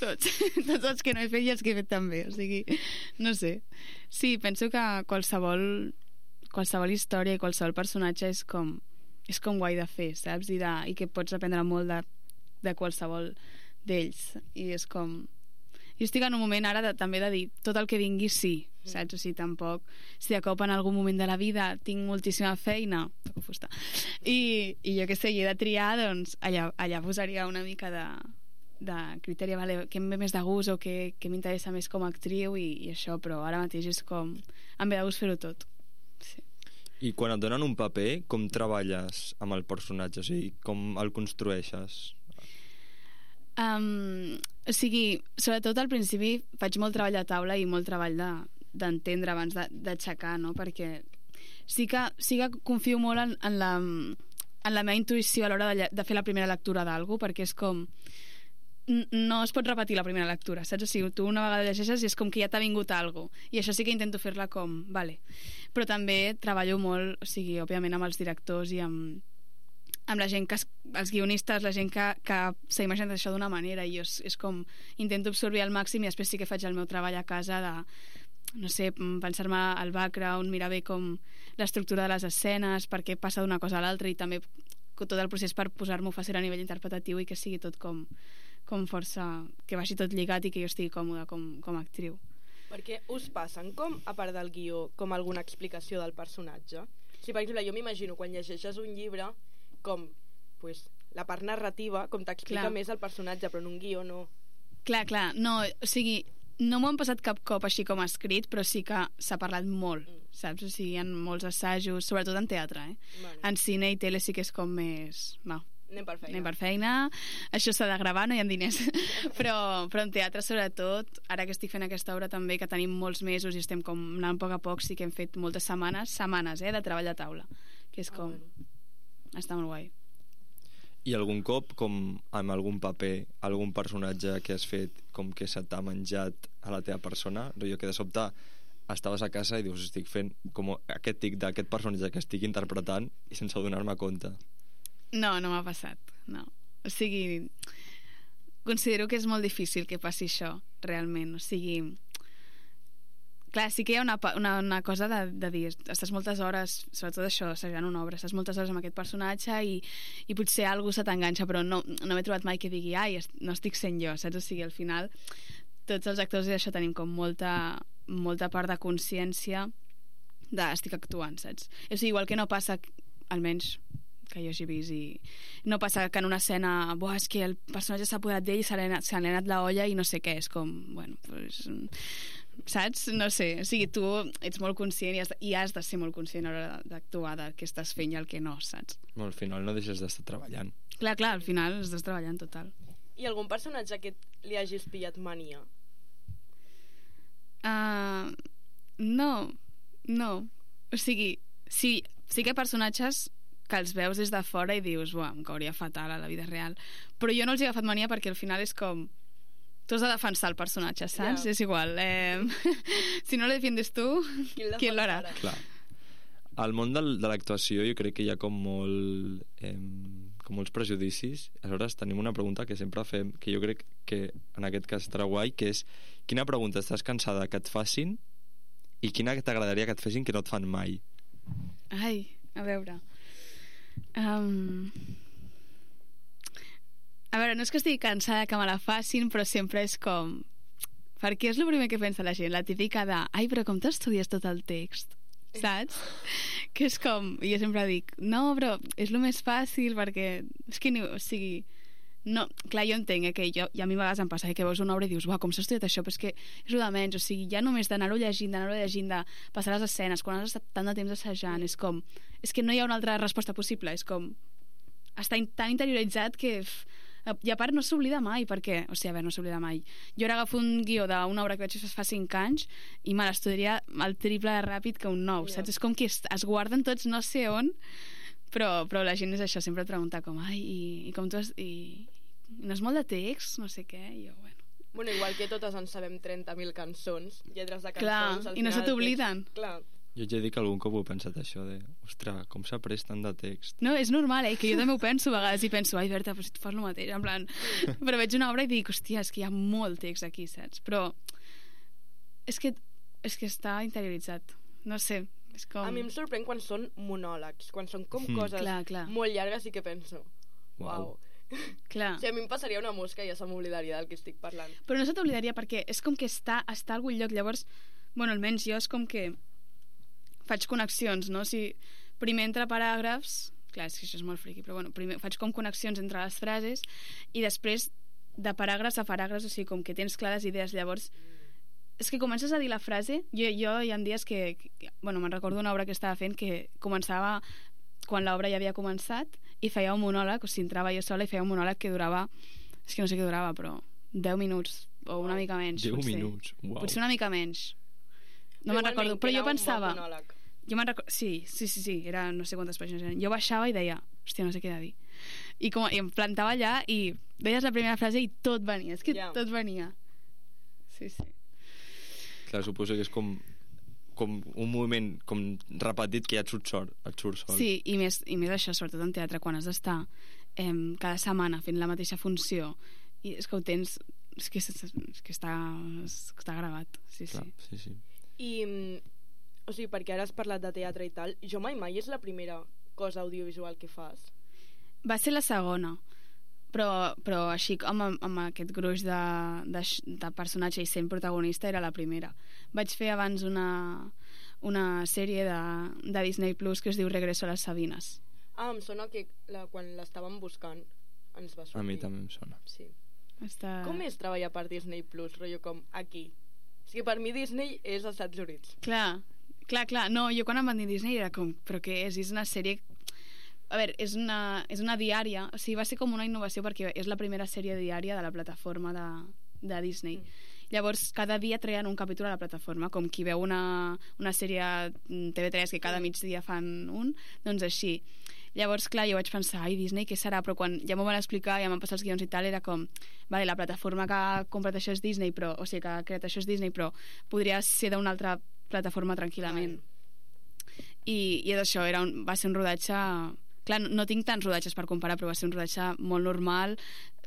els que no he fet i els que he fet també, o sigui, no sé. Sí, penso que qualsevol història i qualsevol personatge és com guai de fer, saps? I que pots aprendre molt de qualsevol d'ells. I és com... Jo estic en un moment ara també de dir tot el que vingui sí, saps? O sigui, tampoc... Si de cop en algun moment de la vida tinc moltíssima feina, toco fusta, i jo què sé, he de triar, doncs allà posaria una mica de criteri, vale, què em ve més de gust o què m'interessa més com a actriu i això, però ara mateix és com... Em ve de gust fer-ho tot. Sí. I quan et donen un paper, com treballes amb el personatge? O sigui, com el construeixes? O sigui, sobretot al principi faig molt treball de taula i molt treball d'entendre abans d'aixecar, no? Perquè sí que confio molt en la meva intuïció a l'hora de fer la primera lectura d'algú, perquè és com... No es pot repetir la primera lectura, saps? O sigui, tu una vegada llegeixes i és com que ja t'ha vingut alguna cosa, i això sí que intento fer-la com... Vale. Però també treballo molt, o sigui, òbviament amb els directors i amb la gent els guionistes, la gent que s'ha imaginat això d'una manera, i jo és com intento absorbir al màxim, i després sí que faig el meu treball a casa de, no sé, pensar-me al background, mirar bé com l'estructura de les escenes, per què passa d'una cosa a l'altra, i també tot el procés per posar-m'ho fàcil a nivell interpretatiu i que sigui tot com força, que vagi tot lligat i que jo estigui còmoda com a actriu. Perquè us passen, com a part del guió, com alguna explicació del personatge? Si, per exemple, jo m'imagino quan llegeixes un llibre com pues, la part narrativa, com t'explica més el personatge, però en un guió no. Clar, no, o sigui, no m'ho han passat cap cop així com escrit, però sí que s'ha parlat molt, saps? O sigui, hi ha molts assajos, sobretot en teatre, Bueno. En cine i tele sí que és com més... Va, anem per feina, això s'ha de gravar, no hi ha diners. però en teatre, sobretot, ara que estic fent aquesta obra també, que tenim molts mesos i estem com anant a poc, sí que hem fet moltes setmanes, de treball de taula, que és com... Bueno. Està molt guai. I algun cop, com amb algun paper, algun personatge que has fet com que se t'ha menjat a la teva persona, jo que de sobte estaves a casa i dius, estic fent com aquest tic d'aquest personatge que estic interpretant i sense adonar-me compte? No m'ha passat, no. O sigui, considero que és molt difícil que passi això, realment. O sigui, clar, sí que hi ha una cosa de dir, estàs moltes hores, sobretot això, assajant una obra, estàs moltes hores amb aquest personatge i potser algú se t'enganxa, però no m'he trobat mai que digui, ai, no estic sent jo, saps? O sigui, al final, tots els actors d'això tenim com molta part de consciència estic actuant, saps? O sigui, igual que no passa, almenys que jo hagi vist, i no passa que en una escena és que el personatge s'ha apoderat d'ell i se li ha anat la olla i no sé què, és com, bueno, pues, saps? No sé, o sigui, tu ets molt conscient i has de ser molt conscient a l'hora d'actuar del que estàs fent i el que no, saps? Al final no deixes d'estar treballant. Clar, al final estàs treballant total. I algun personatge que li hagis pillat mania? No. O sigui, sí que hi ha personatges que els veus des de fora i dius, em cauria fatal a la vida real, però jo no els he agafat mania perquè al final és com tu has de defensar el personatge, saps? És igual, si no lo defiendes tu, ¿quién lo hará? Clar. al món de l'actuació jo crec que hi ha com molts prejudicis. Aleshores tenim una pregunta que sempre fem, que jo crec que en aquest cas estarà guai, que és quina pregunta estàs cansada que et facin i quina t'agradaria que et fessin que no et fan mai? Ai, a veure... A veure, no és que estigui cansada que me la facin, però sempre és com... Perquè és el primer que pensa la gent, la típica de ai, però com t'estudies tot el text? Saps? Que és com... Jo sempre dic, no, però és el més fàcil perquè... És que, o sigui... No, clar, jo entenc que jo, i a mi a vegades em passa que veus una obra i dius, uah, com s'ha estudiat això, però és que és el de menys, o sigui, ja només d'anar-ho llegint, de passar les escenes, quan has estat tant de temps assajant, és com... És que no hi ha una altra resposta possible, és com... Està tan interioritzat que... I a part no s'oblida mai, perquè... O sigui, a veure, no s'oblida mai. Jo ara agafo un guió d'una obra que vaig fer fa 5 anys i me l'estudiaria el triple de ràpid que un nou, saps? És com que es guarden tots no sé on, però la gent és això, sempre et pregunta com, ai, i com tu has... I no és molt de text, no sé què, i jo, bueno... Bueno, igual que totes en sabem 30.000 cançons, lletres de cançons... Clar, i no se t'obliden. Clar. Jo ja he dit que algun cop ho he pensat això de, ostres, com s'ha après tant de text? No, és normal, que jo també ho penso a vegades i penso, ai, Berta, però si tu fas el mateix, en plan... Però veig una obra i dic, hòstia, és que hi ha molt text aquí, saps? Però és que està interioritzat, no sé, és com... A mi em sorprèn quan són monòlegs, quan són com coses clar. molt llargues i que penso, uau. Clar. O sigui, a mi em passaria una mosca i ja se m'oblidaria del que estic parlant. Però no se t'oblidaria perquè és com que està a algun lloc, llavors, bueno, almenys jo és com que faig connexions, no? Si primer entre paràgrafs, clar, és que això és molt friqui, però bueno, primer faig com connexions entre les frases i després de paràgrafs a paràgrafs, o sigui, com que tens clares idees, llavors és que comences a dir la frase, jo hi ha dies que bueno, me'n recordo una obra que estava fent que començava quan l'obra ja havia començat i feia un monòleg, o sigui, entrava jo sola i feia un monòleg que durava, és que no sé què durava, però 10 minuts o una mica menys. 10 minuts, uau. Potser una mica menys. No me'n recordo, però jo pensava... Sí, era no sé quantes pàgines eren. Jo baixava i deia, hòstia, no sé què he de dir. I em plantava allà i deies la primera frase i tot venia, és que tot venia. Sí. Clar, suposo que és com un moviment com repetit que ja et surt sol. Sí, i més això, sobretot en teatre, quan has d'estar cada setmana fent la mateixa funció i és que ho tens, és que està gravat. Clar, sí. I, o sigui, perquè ara has parlat de teatre i tal, Jo mai és la primera cosa audiovisual que fas? Va ser la segona, però així amb aquest gruix de personatge i sent protagonista era la primera. Vaig fer abans una sèrie de Disney Plus que es diu Regreso a les Sabines. Em sona que quan l'estàvem buscant ens va sortir. A mi també em sona. Sí. Com és treballar per Disney Plus, rotllo com aquí? O sigui, per mi Disney és als Estats Units. Clar. No, jo quan em van dir Disney era com, però què és? És una sèrie... A veure, és una diària, o sigui, va ser com una innovació perquè és la primera sèrie diària de la plataforma de Disney. Llavors, cada dia treien un capítol a la plataforma, com qui veu una sèrie TV3 que cada migdia fan un, doncs així. Llavors, clar, jo vaig pensar, ai, Disney, què serà? Però quan ja m'ho van explicar, ja m'han passat els guions i tal, era com, vale, la plataforma que ha comprat això és Disney, però, o sigui, que ha creat això és Disney, però podria ser d'una altra plataforma tranquil·lament. I és això, va ser un rodatge... Clar, no tinc tants rodatges per comparar, però va ser un rodatge molt normal,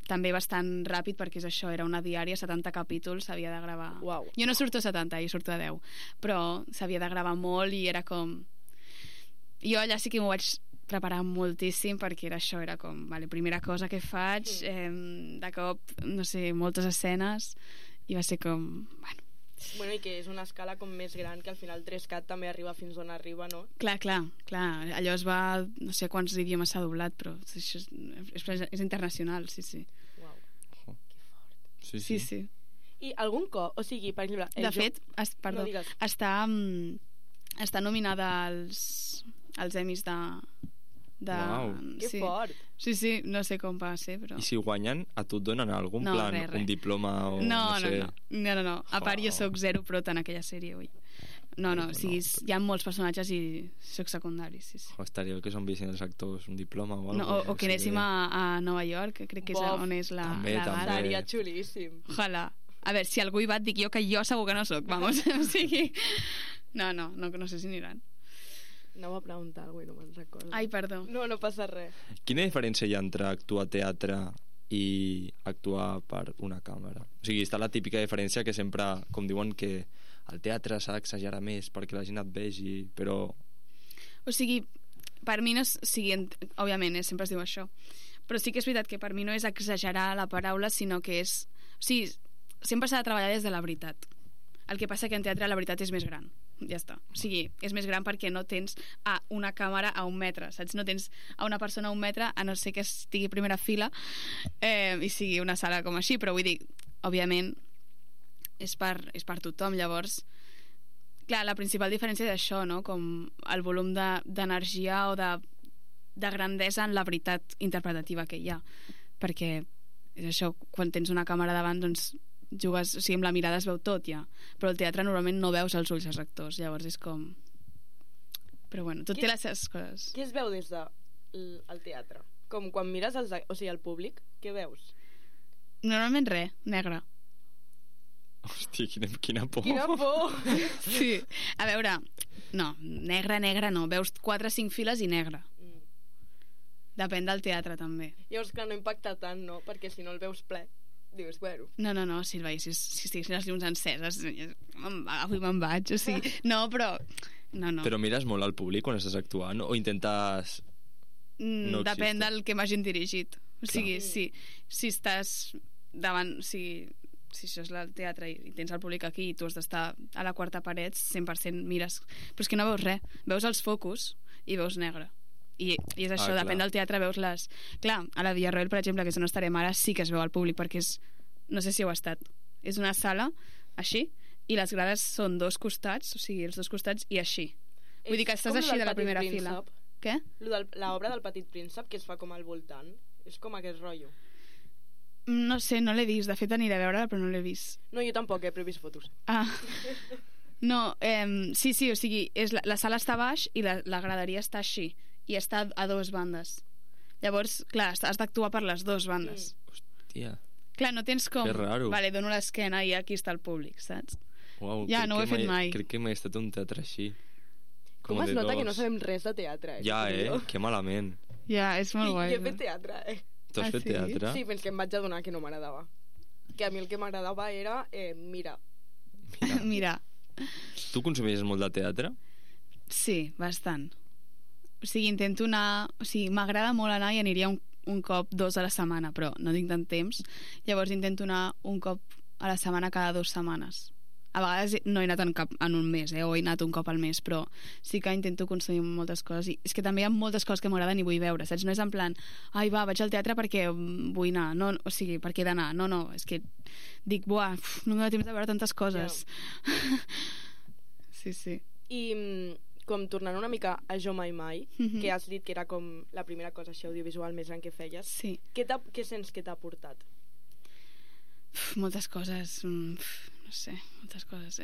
també bastant ràpid, perquè és això, era una diària, 70 capítols, s'havia de gravar. Uau. Jo no surto a 70, jo surto a 10, però s'havia de gravar molt i era com... Jo allà sí que m'ho vaig preparar moltíssim, perquè era això, era com, vale, primera cosa que faig, de cop, no sé, moltes escenes, i va ser com, Bueno, i que és una escala com més gran, que al final 3CAT també arriba fins on arriba, no? Clar, allò es va... No sé quants idiomes s'ha doblat, però això és internacional, sí. Uau, que fort. Sí. I algun cop, o sigui, per exemple... De fet, està nominada als Emmys de... Uau, que fort. Sí, no sé com va ser, però... I si guanyen, a tu et donen algun plan, res. un diploma o no sé... No. A part, jo soc zero prota en aquella sèrie, ui. No, o sigui, hi ha molts personatges i soc secundari, sí. Estaria bé que s'enviessin els actors un diploma o alguna cosa. O que anéssim a Nova York, que crec que és on és la gala. Seria xulíssim. Ojalà. A veure, si algú hi va, et dic jo que jo segur que no soc, vamos. O sigui... No sé si aniran. Anava a preguntar alguna cosa i no me'n recordo. Ai, perdó. No passa res. Quina diferència hi ha entre actuar a teatre i actuar per una càmera? O sigui, està la típica diferència que sempre, com diuen, que al teatre s'ha d'exagerar més perquè la gent et vegi, però... O sigui, per mi no és... O sigui, òbviament, sempre es diu això. Però sí que és veritat que per mi no és exagerar la paraula, sinó que és... O sigui, sempre s'ha de treballar des de la veritat. El que passa que en teatre la veritat és més gran. Ja està. O sigui, és més gran perquè no tens una càmera a 1 metre, saps? No tens a una persona a 1 metre, a no ser que estigui a primera fila i sigui una sala com així, però vull dir, òbviament, és per tothom. Llavors, clar, la principal diferència és això, no? Com el volum d'energia o de grandesa en la veritat interpretativa que hi ha. Perquè és això, quan tens una càmera davant, doncs jugues, o sigui, amb la mirada es veu tot ja, però al teatre normalment no veus els ulls dels actors, llavors és com... Però bueno, tot té les seves coses. Què es veu des del teatre? Com quan mires el públic, què veus? Normalment res, negre. Hòstia, quina por. Quina por! Sí, a veure, no, negre no, veus 4 o 5 files i negre. Depèn del teatre també. Llavors, clar, no impacta tant, no? Perquè si no el veus ple, dius, bueno... No, si el veiessis, si estiguessin les llums enceses, avui me'n vaig, o sigui... No, però... No. Però mires molt al públic quan estàs actuant o intentes... No depèn del que m'hagin dirigit. O sigui, si estàs davant... O sigui, si això és el teatre i tens el públic aquí i tu has d'estar a la quarta paret, 100% mires... Però és que no veus res. Veus els focus i veus negre. I és això, depèn del teatre, veus les... Clar, a la Villarroel, per exemple, que és on estarem ara, sí que es veu al públic, perquè és... No sé si heu estat. És una sala, així, i les grades són 2 costats, o sigui, els 2 costats, i així. Vull dir que estàs així de la primera fila. Què? L'obra del Petit Príncep, que es fa com al voltant. És com aquest rotllo. No sé, no l'he vist. De fet, aniré a veure-la, però no l'he vist. No, jo tampoc, però he vist fotos. No, sí, o sigui, la sala està a baix i la graderia està així. I està a 2 bandes. Llavors, clar, has d'actuar per les 2 bandes. Hòstia. Clar, no tens com... Que raro. Vale, dono l'esquena i aquí està el públic, saps? Uau, ja, no ho he fet mai. Crec que mai he estat a un teatre així. Com es nota que no sabem res de teatre, Ja, que malament. Ja, és molt guai. Jo he fet teatre, Tu has fet teatre? Sí, fins que em vaig adonar que no m'agradava. Que a mi el que m'agradava era mirar. Mirar. Tu consumies molt de teatre? Sí, bastant. O sigui, intento anar... O sigui, m'agrada molt anar i aniria un cop 2 a la setmana, però no tinc tant temps. Llavors intento anar un cop a la setmana cada 2 setmanes. A vegades no he anat en un mes, o he anat un cop al mes, però sí que intento consumir moltes coses. I és que també hi ha moltes coses que m'agraden i vull veure, saps? No és en plan, ai, va, vaig al teatre perquè vull anar. No, o sigui, perquè he d'anar. No, és que dic, buah, no m'he de temps de veure tantes coses. Yeah. Sí. I... com tornant una mica a Jo Mai Mai, que has dit que era com la primera cosa així audiovisual més gran que feies, sí. Què sents que t'ha aportat? Moltes coses, no sé, moltes coses.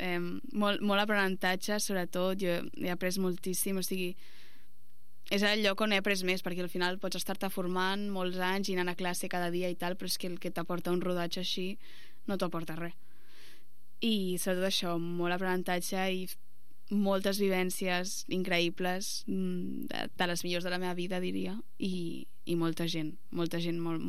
Molt aprenentatge, sobretot, jo he après moltíssim, o sigui, és el lloc on he après més, perquè al final pots estar-te formant molts anys i anant a classe cada dia i tal, però és que el que t'aporta un rodatge així no t'aporta res. I sobretot això, molt aprenentatge i moltes vivències increïbles, de les millors de la meva vida, diria, i molta gent molt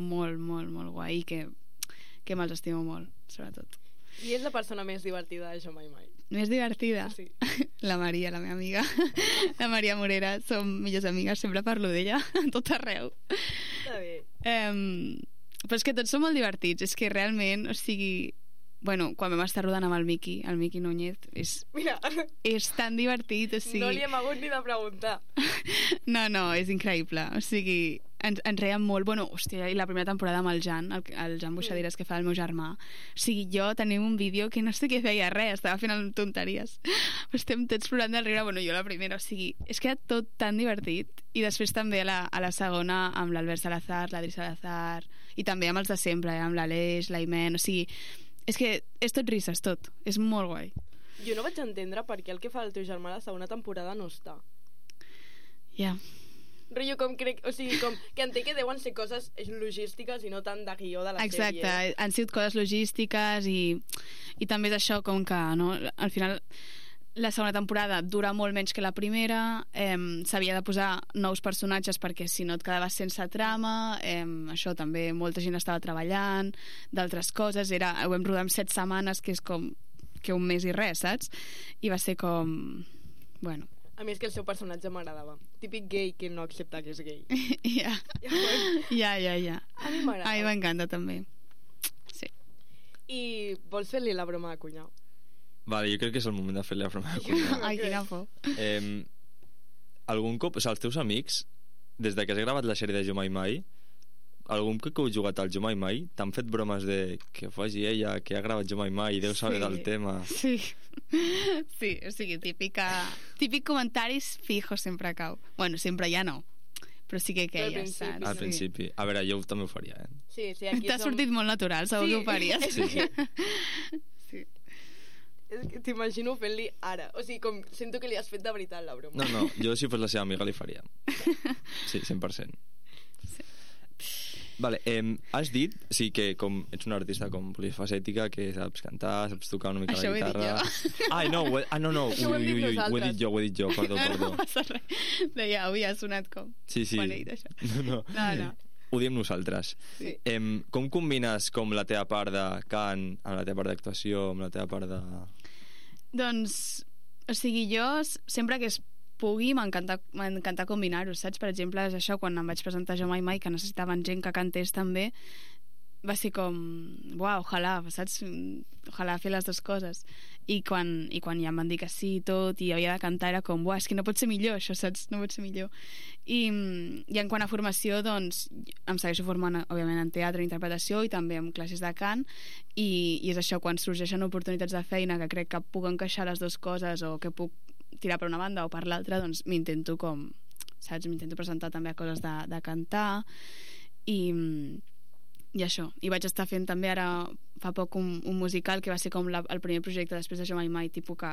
guai, que me'ls estimo molt, sobretot. I és la persona més divertida de Jo Mai Mai? Més divertida? Sí. La Maria, la meva amiga, la Maria Morera, som millors amigues, sempre parlo d'ella a tot arreu. Està bé. Però és que tots són molt divertits, és que realment, o sigui, bueno, quan vam estar rodant amb el Miqui Núñez, és tan divertit, o sigui... No li hem hagut ni de preguntar. No, és increïble, o sigui, ens reiem molt. Bueno, hòstia, i la primera temporada amb el Jan Buixaderes, que fa el meu germà, o sigui, jo tenim un vídeo que no sé què feia res, estava fent tonteries, estem tots plorant del riure, bueno, jo la primera, o sigui, és que era tot tan divertit. I després també a la segona amb l'Albert Salazar, l'Adri Salazar, i també amb els de sempre, amb l'Aleix, l'Aimen, o sigui, és que és tot risses, tot. És molt guai. Jo no vaig entendre per què el que fa el teu germà a la segona temporada no està. Ja. Rotllo, com crec... O sigui, com que entenc que deuen ser coses logístiques i no tant de guió de la sèrie. Exacte, han sigut coses logístiques i també és això, com que, no, al final La segona temporada dura molt menys que la primera, s'havia de posar nous personatges perquè si no et quedaves sense trama, això també molta gent estava treballant, d'altres coses, ho vam rodar en 7 setmanes, que és com que un mes i res, saps? I va ser com... Bueno. A mi és que el seu personatge m'agradava. Típic gay que no accepta que és gay. Ja. A mi m'agrada. A mi m'encanta també. Sí. I vols fer-li la broma de cunyau? Vale, jo crec que és el moment de fer-li la broma de cunyau. Ai, quina por. Algun cop, o sigui, els teus amics, des de que has gravat la sèrie de Jo Mai Mai, algun cop que heu jugat al Jo Mai Mai, t'han fet bromes de que faci ella, que ha gravat Jo Mai Mai i deu saber del tema? Sí, o sigui, típic comentaris fijo sempre cau. Bueno, sempre ja no, però sí que queia, saps? Al principi. A veure, jo també ho faria, Sí, aquí t'ha sortit molt natural, segur que ho faries. Sí. És que t'imagino fent-li ara. O sigui, com sento que li has fet de veritat la broma. No, jo si fos la seva amiga li faria. Sí, 100%. Sí. Vale, has dit, sí, que com ets una artista com polifacètica, que saps cantar, saps tocar una mica Això la guitarra... Ai, no, no. Això ho hem dit nosaltres. Ho he dit jo, perdó. No passa res. Deia, avui ha sonat com... Sí. Quan he dit això. No. Ho diem nosaltres. Sí. Com combines com la teva part de cant amb la teva part d'actuació, amb la teva part de... Doncs, o sigui, jo sempre que es pugui m'encanta combinar-ho, saps? Per exemple, és això, quan em vaig presentar Jo Mai Mai, que necessitaven gent que cantés també, va ser com, uau, ojalà, saps? Ojalà fer les dues coses. I quan ja em van dir que sí i tot, i havia de cantar, era com, uau, és que no pot ser millor això, saps? No pot ser millor. I en quant a formació, doncs, em segueixo formant, òbviament, en teatre, en interpretació, i també en classes de cant, i és això, quan sorgeixen oportunitats de feina que crec que puc encaixar les dues coses, o que puc tirar per una banda o per l'altra, doncs m'intento com, saps? M'intento presentar també a coses de cantar, i això. I vaig estar fent també ara fa poc un musical que va ser com el primer projecte després de Jo Mai Mai, tipus que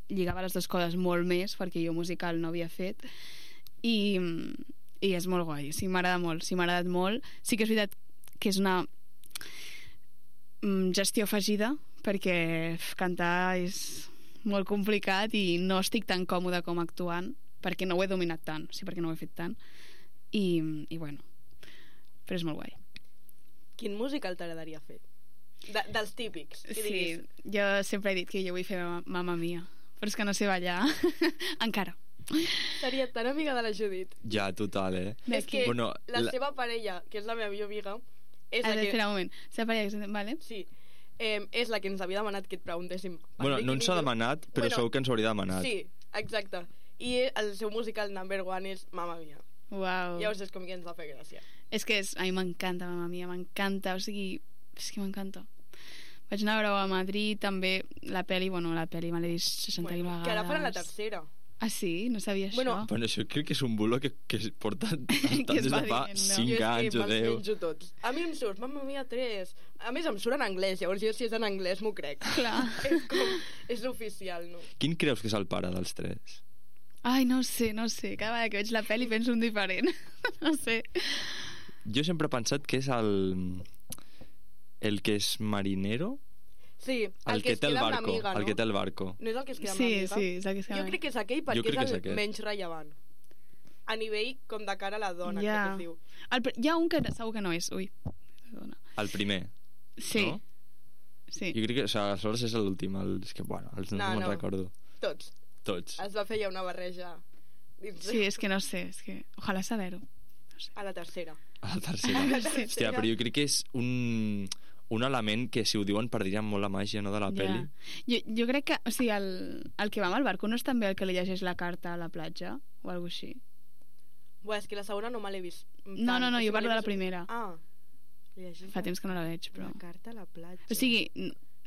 lligava les dues coses molt més, perquè jo musical no havia fet, i és molt guai, sí, m'agrada molt, sí, m'ha agradat molt. Sí que és veritat que és una gestió afegida, perquè cantar és molt complicat i no estic tan còmoda com actuant, perquè no ho he dominat tant, sí, perquè no ho he fet tant, i bueno, però és molt guai. Quin musical t'agradaria fer? Dels típics. Sí, jo sempre he dit que jo vull fer Mamma Mia, però és que no sé ballar encara. Seria tan amiga de la Judit. Ja, total, És que la seva parella, que és la meva millor amiga, és la que... Espera un moment. Seva parella, vale? Sí. És la que ens havia demanat que et preguntéssim. Bueno, no ens ha demanat, però segur que ens hauria demanat. Sí, exacte. I el seu musical number one és Mamma Mia. Uau. Llavors és com que ens va fer gràcia. És que a mi m'encanta Mamma Mia, m'encanta, o sigui, és que m'encanta. Vaig anar a veure a Madrid, també la peli me l'he vist 60.000 vegades. Que ara faran la tercera. Ah, sí? No sabia això. Bueno, això crec que és un bulo que es porta des de fa 5 anys o 10. Menjo tots. A mi em surt Mamma Mia 3. A més, em surt en anglès, llavors jo si és en anglès m'ho crec. Clar. És oficial, no? Quin creus que és el pare dels 3? Ai, no sé. Cada vegada que veig la pel·li penso un diferent. No sé. Jo sempre he pensat que és el que és marinero. Sí, el que es queda amb l'amiga, no? El que té el barco. No és el que es queda amb l'amiga? Sí, és el que es queda. Jo crec que és aquell perquè és el menys rellevant. A nivell com de cara a la dona, crec que es diu. Hi ha un que segur que no és. Ui, perdona. El primer. Sí. No? Sí. Jo crec que aleshores és l'últim. És que, bueno, no me'n recordo. Tots. Es va fer ja una barreja. Sí, és que no sé. És que... Ojalà saber-ho. No sé. A la tercera. Hòstia, però jo crec que és un element que si ho diuen perdrien molt la màgia, no, de la pel·li. Jo crec que, o sigui, el que va amb el barco no és també el que li llegeix la carta a la platja o alguna cosa així? És que la segona no me l'he vist. No, jo parlo de la primera. Fa temps que no la veig, però... La carta a la platja. O sigui,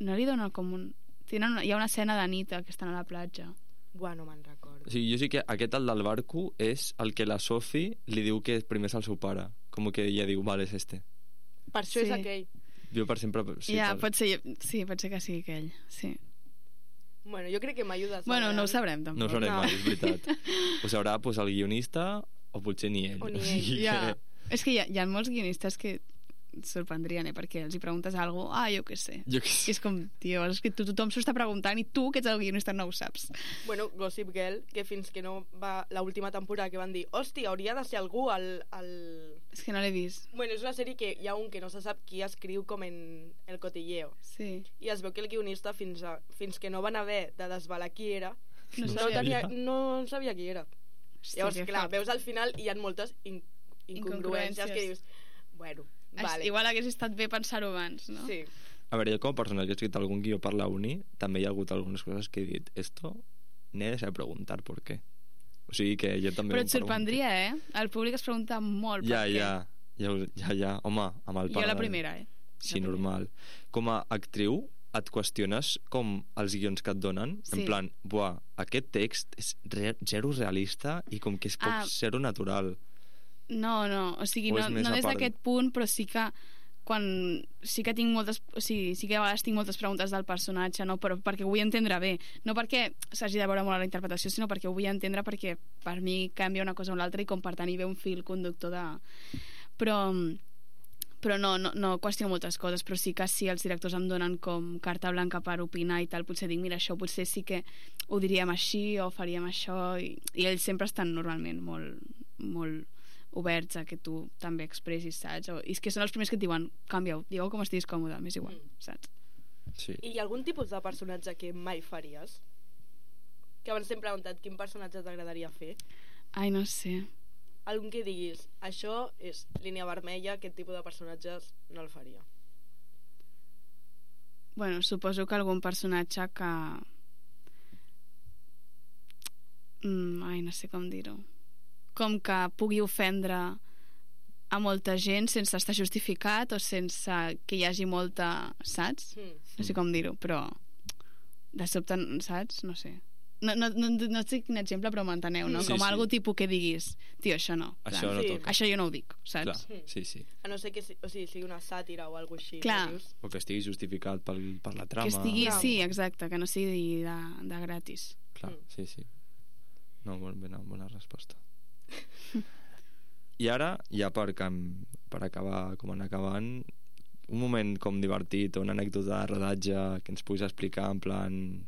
no li dona com un... Hi ha una escena de nit que estan a la platja. No me'n recordo. O sigui, jo sí que aquest, el del barco, és el que la Sophie li diu que primer és el seu pare. Com que ella diu, vale, és este. Per això és aquell. Jo per sempre... Sí, pot ser que sigui aquell, sí. Jo crec que m'ajudes. No ho sabrem, tampoc. No ho sabrem mai, és veritat. Ho sabrà el guionista o potser ni ell. O ni ell. És que hi ha molts guionistes que et sorprendrien, perquè els hi preguntes alguna cosa, jo què sé. Jo què sé. I és com, tio, és que tothom s'ho està preguntant i tu, que ets el guionista, no ho saps. Bueno, Gossip Girl, que fins que no va l'última temporada que van dir, hòstia, hauria de ser algú al... És que no l'he vist. Bueno, és una sèrie que hi ha un que no se sap qui escriu com en El Cotilleo. Sí. I es veu que el guionista, fins que no van haver de desvelar qui era, No no sabia qui era. Hòstia, Llavors, que clar, fort. veus al final i hi ha moltes incongruències que dius, bueno, vale. Igual hagués estat bé pensar-ho abans, no? Sí. A veure, jo com a persona que he escrit algun guió per la uni, també hi ha hagut algunes coses que he dit, esto n'he de preguntar por qué. O sigui que jo també... Però et sorprendria, El públic es pregunta molt per què. Ja. Home, amb el pare... Jo la primera, Sí, normal. Com a actriu, et qüestiones com els guions que et donen, en plan, buah, aquest text és zero realista i com que és poc zero natural. No, o sigui, no des d'aquest punt, però sí que quan sí que tinc moltes, o sigui, sí que a vegades tinc moltes preguntes del personatge, no? Però perquè ho vull entendre bé, no perquè s'hagi de veure molt la interpretació, sinó perquè ho vull entendre, perquè per mi canvia una cosa o l'altra i com per tant hi ve un fil conductor de... Però no qüestiono moltes coses, però sí que si els directors em donen com carta blanca per opinar i tal, potser dic, mira, això potser sí que ho diríem així o faríem això, i ells sempre estan normalment molt oberts a que tu també expressis, saps? I és que són els primers que et diuen, canvia-ho, digueu com estiguis còmode, m'és igual, saps? Sí. I hi ha algun tipus de personatge que mai faries? Que abans t'hem preguntat quin personatge t'agradaria fer. Ai, no sé. Algun que diguis, això és línia vermella, aquest tipus de personatges no el faria. Bueno, suposo que algun personatge que... ai, no sé com dir-ho. Com que pugui ofendre a molta gent sense estar justificat o sense que hi hagi molta... Saps? No sé com dir-ho, però de sobte, saps? No sé. No sé quin exemple, però m'enteneu, no? Sí, com sí. algo tipus que diguis, tio, això no. Això no toca. Això jo no ho dic, saps? Clar, sí. A no ser que sigui una sàtira o alguna cosa així. Clar. Que dius. O que estigui justificat per la trama. Que estigui, sí, exacte, que no sigui de gratis. Clar, sí. No, bona resposta. I ara, ja per acabar com anar acabant, un moment com divertit o una anècdota de rodatge que ens puguis explicar, en plan...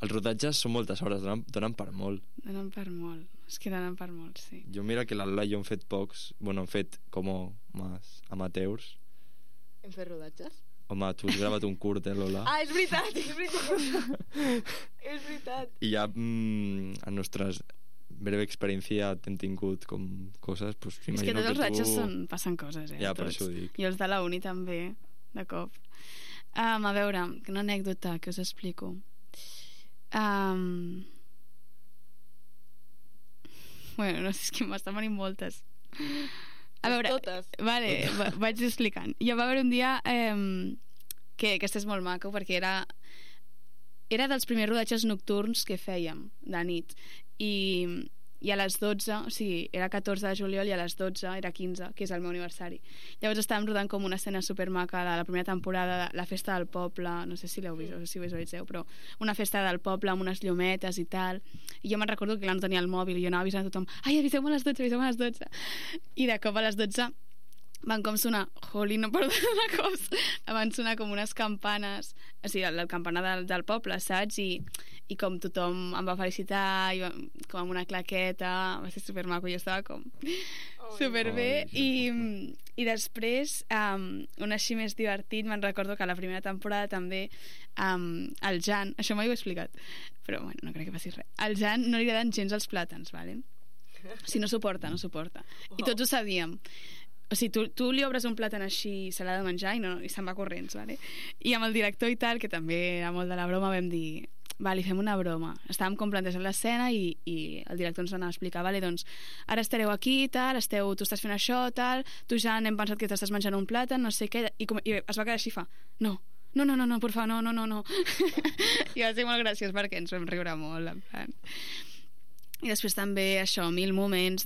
Els rodatges són moltes hores, donen per molt. Donen per molt, és que donen per molt, sí. Jo mira que l'Alba i jo hem fet pocs, bueno, hem fet com més amateurs. Hem fet rodatges? Home, tu has gravat un curt, Lola? Ah, és veritat! És veritat. I ja en nostres breve experiència hem tingut com coses, pues, és que tots els ratxes passen coses, Ja, tots. per això ho dic. I els de la uni també, de cop. A veure, una anècdota que us explico. Bueno, no sé, és que m'estan venint moltes. A veure, totes. Vale, vaig explicant. Jo va haver un dia que aquest és molt maco perquè era dels primers rodatges nocturns que fèiem de nit i a les 12, o sigui, era 14 de juliol i a les 12 era 15, que és el meu aniversari. Llavors estàvem rodant com una escena supermaca de la primera temporada, la festa del poble, no sé si l'heu vist o si ho visualitzeu, però una festa del poble amb unes llumetes i tal, i jo me'n recordo que no tenia el mòbil i jo anava avisant a tothom, ai, aviseu-me a les 12, aviseu-me a les 12, i de cop a les 12 van com sonar, no perdó de cops, van sonar com unes campanes, o sigui, el campanar del poble, saps? I com tothom em va felicitar, com amb una claqueta, va ser supermaco, jo estava com superbé, i després, un així més divertit, me'n recordo que a la primera temporada també el Jan, això mai ho he explicat, però bueno, no crec que passi res, al Jan no li agraden gens els plàtans, vale? O sigui, no suporta, i tots ho sabíem. O sigui, tu li obres un plàtan així i se l'ha de menjar i se'n va corrents, vale? I amb el director i tal, que també era molt de la broma, vam dir, li fem una broma. Estàvem com plantejant l'escena i el director ens anava a explicar, vale, doncs ara estareu aquí, tal, tu estàs fent això, tal, tu ja hem pensat que t'estàs menjant un plàtan, no sé què, i es va quedar així, no, por favor, no. I va ser molt graciós perquè ens vam riure molt, en plan. I després també això, 1000 moments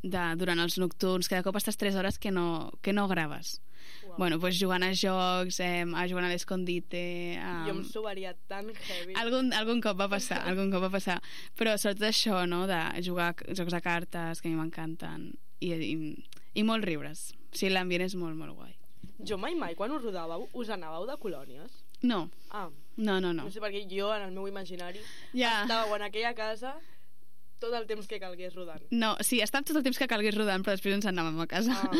durant els nocturns, que de cop estàs 3 hores que no graves. Wow. Bueno, doncs jugant a jocs, jugant a l'escondite... Jo em subaria tan heavy. Algun cop va passar. Però sobretot això, no?, de jugar jocs de cartes, que a mi m'encanten, i I molt riures. Sí, l'ambient és molt, molt guai. Jo mai, quan us rodàveu, us anàveu de colònies? No. Ah. No. No sé, perquè jo, en el meu imaginari, Ja. estàveu en aquella casa tot el temps que calgués rodant. No, sí, estàvem tot el temps que calgués rodant, però després ens anàvem a casa. Ah.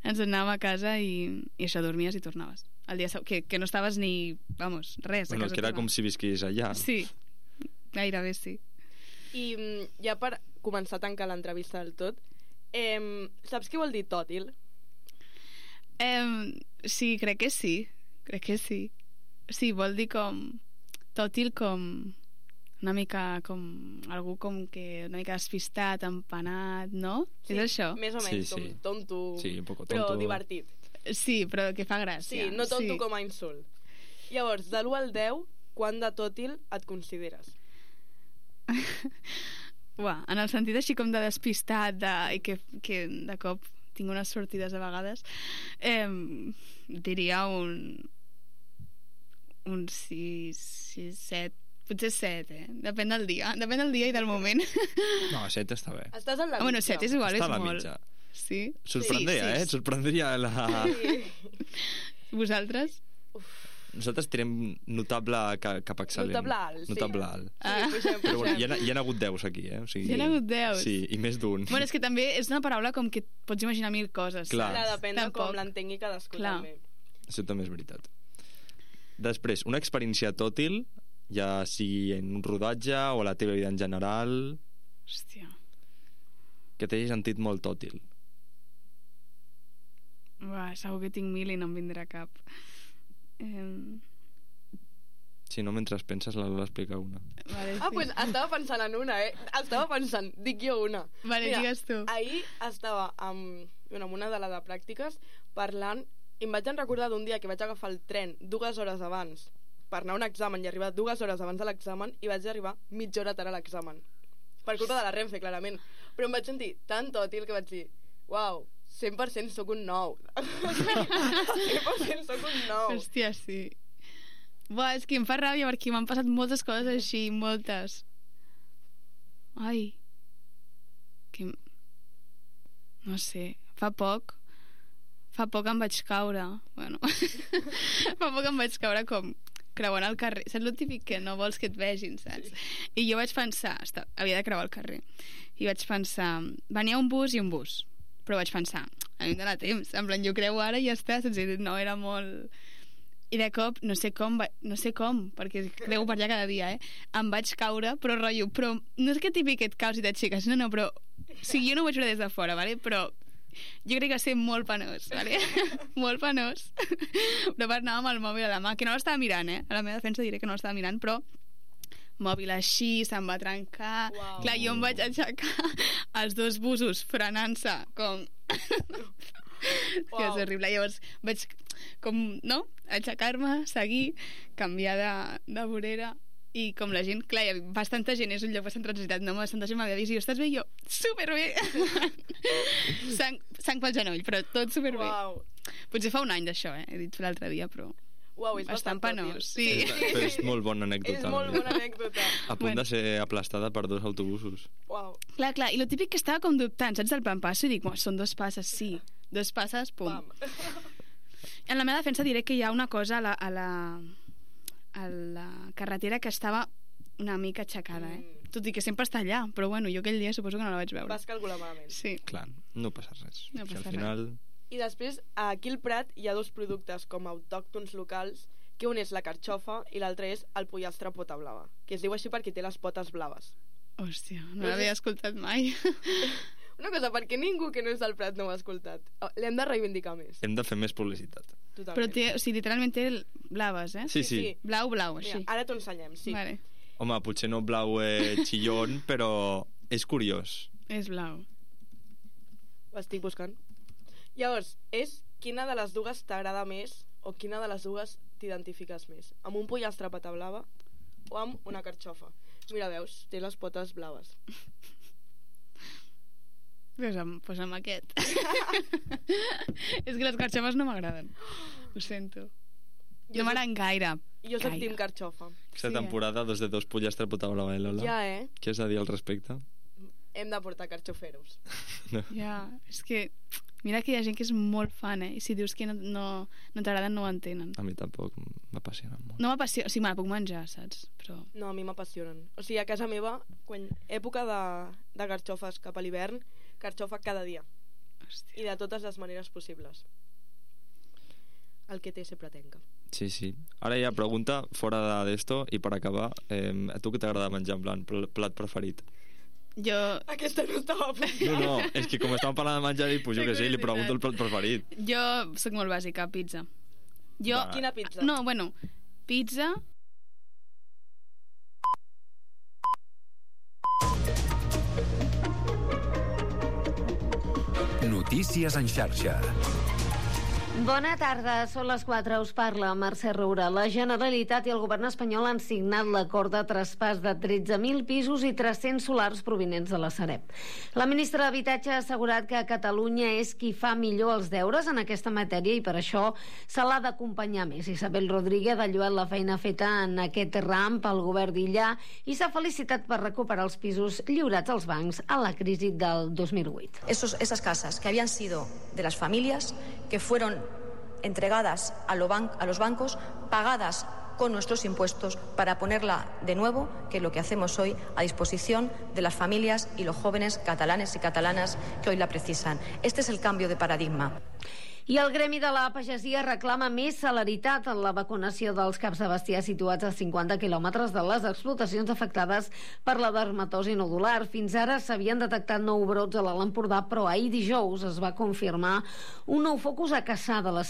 Ens anàvem a casa i això, dormies i tornaves. El dia que no estaves ni, vamos, res. a Bueno, casa que era teva. com si visquis allà. Sí, gairebé sí. I ja per començar a tancar l'entrevista del tot, saps què vol dir tòtil? Sí, crec que sí. Sí, vol dir com tòtil, com una mica com algú com que una mica despistat, empanat, no? Sí, És això? Més o menys, Sí, sí. com tonto, Sí, un poco però tonto. divertit. Sí, però que fa gràcia. Sí, no tonto com a insult. Llavors, de l'1 al 10, quant de tòtil et consideres? Uah, en el sentit així com de despistat i que de cop tinc unes sortides a vegades, diria un 6, 7, potser 7, depèn del dia i del moment. No, 7 està bé. Estàs en la Bueno, mitja. 7 és igual, Està és a la molt. mitja. Sí? Sorprendria, Sí. eh? Sorprendria la... Sí. Vosaltres? Nosaltres tirem notable cap excel·lent. Notable alt, sí. Notable alt. Sí, puixem. Però bueno, hi ha hagut 10 aquí, eh? O sigui, Hi ha hagut 10? Sí, i més d'un. Bueno, és que també és una paraula com que pots imaginar mil coses. Clar. Clar, depèn de Tampoc. com l'entengui cadascú. Clar. També. Això també és veritat. Després, una experiència tòtil, ja sigui en un rodatge o a la teva vida en general, Hòstia. que t'hagi sentit molt tòtil. Uah, segur que tinc 1000 i no em vindrà cap. Si no, mentre penses, la Lola explica una. Vale, Ah, doncs estava pensant en una, Estava pensant, dic jo una. Vale, digues tu. Ahir estava amb una de les de pràctiques parlant i em vaig recordar d'un dia que vaig agafar el tren 2 hores abans per anar a un examen i arribar 2 hores abans de l'examen i vaig arribar mitja hora tard a l'examen. Per culpa de la Renfe, clarament. Però em vaig sentir tan tòtil que vaig dir, uau, 100% sóc un 9. 100% sóc un 9. Hòstia, sí. Buah, és que em fa ràbia perquè m'han passat moltes coses així, moltes. Ai. Que... No sé, fa poc em vaig caure. Bueno, fa poc em vaig caure com creuant el carrer. Saps el típic que no vols que et vegin, saps? Sí. I jo vaig pensar, havia de creuar el carrer, i vaig pensar, venia un bus i un bus. Però vaig pensar, a mi em dóna temps, en plan, jo creu ara i ja està, saps? No, era molt... I de cop, no sé com, perquè creu per allà cada dia, em vaig caure, però rotllo, però no és que típic que et caus i t'aixeques, no, però... O sigui, jo no ho vaig veure des de fora, vale? Però jo crec que va ser molt penós, vale? Molt penós. Però anàvem amb el mòbil a la mà, que no l'estava mirant, a la meva defensa diré que no l'estava mirant, però mòbil així, se'm va trencar. Uau. Clar, jo em vaig aixecar els dos busos frenant-se com... Que és horrible. Llavors vaig com, no? Aixecar-me, seguir, canviar de vorera i com la gent, clar, hi ha bastanta gent, és un lloc bastant transitat, no? Bastanta gent m'havia vist i jo, estàs bé? I jo, superbé! sang pel genoll, però tot superbé. Uau. Potser fa un any d'això, he dit l'altre dia, però Uau, és bastant bastant penós. tòtil. Sí. Però és molt bona anècdota. És molt bona anècdota. A punt de ser aplastada per 2 autobusos. Uau. Clar, i lo típic que estava com dubtant, saps, del plan passo, i dic, són 2 passes, sí. 2 passes, pum. Pam. En la meva defensa diré que hi ha una cosa a la carretera que estava una mica aixecada, Tot i que sempre està allà, però bueno, jo aquell dia suposo que no la vaig veure. Vas calcular malament. Sí. Clar, no passa res. No Si passa al final... I després, aquí al Prat hi ha 2 productes com autòctons locals, que un és la carxofa i l'altre és el pollastre pota blava, que es diu així perquè té les potes blaves. Hòstia, no l'havia escoltat mai. Una cosa, perquè ningú que no és del Prat no ho ha escoltat. L'hem de reivindicar més. Hem de fer més publicitat. Totalment. Però té, o sigui, literalment té blaves, Sí, sí. Blau, així. Mira, ara t'ho ensenyem, sí. Vale. Home, potser no blau xillón, però és curiós. És blau. Ho estic buscant. Llavors, és quina de les dues t'agrada més o quina de les dues t'identifiques més? Amb un pollastre pata blava o amb una carxofa? Mira, veus, té les potes blaves. Pues amb aquest. És que les carxofes no m'agraden. Ho sento. No m'agraden gaire. Jo soc team carxofa. Aquesta Sí, temporada, 2 de 2 pollastre pota blava, Lola? Ja, Què has de dir al respecte? Hem de portar carxoferos. Ja, és que Mira que hi ha gent que és molt fan, I si dius que no t'agraden, no ho entenen. A mi tampoc m'apassionen molt. No m'apassiona, o sigui, me la puc menjar, saps? Però... No, a mi m'apassionen. O sigui, a casa meva, quan època de carxofes cap a l'hivern, carxofa cada dia. Hòstia. I de totes les maneres possibles. El que té sempre tenca. Sí, sí. Ara ja pregunta fora d'esto i per acabar, a tu què t'agrada menjar, en plan, plat preferit? Jo... Aquesta no estava apuntada. No, és que com estàvem parlant de menjar, pues jo què sé, li pregunto el plat preferit. Jo soc molt bàsica, pizza. Jo... Quina pizza? No, bueno, pizza... Notícies en xarxa. Bona tarda, són les 4, us parla Mercè Roura. La Generalitat i el govern espanyol han signat l'acord de traspàs de 13.000 pisos i 300 solars provinents de la Sareb. La ministra d'Habitatge ha assegurat que Catalunya és qui fa millor els deures en aquesta matèria i per això se l'ha d'acompanyar més. Isabel Rodríguez ha lloat la feina feta en aquest ram pel govern d'Illa i s'ha felicitat per recuperar els pisos lliurats als bancs a la crisi del 2008. Esas casas que habían sido de las familias, que fueron entregadas a los bancos, pagadas con nuestros impuestos para ponerla de nuevo, que es lo que hacemos hoy, a disposición de las familias y los jóvenes catalanes y catalanas que hoy la precisan. Este es el cambio de paradigma. I el Gremi de la Pagesia reclama més celeritat en la vacunació dels caps de bestiar situats a 50 quilòmetres de les explotacions afectades per la dermatosi nodular. Fins ara s'havien detectat 9 brots a l'Alt Empordà, però ahir dijous es va confirmar un nou focus a Cassà de la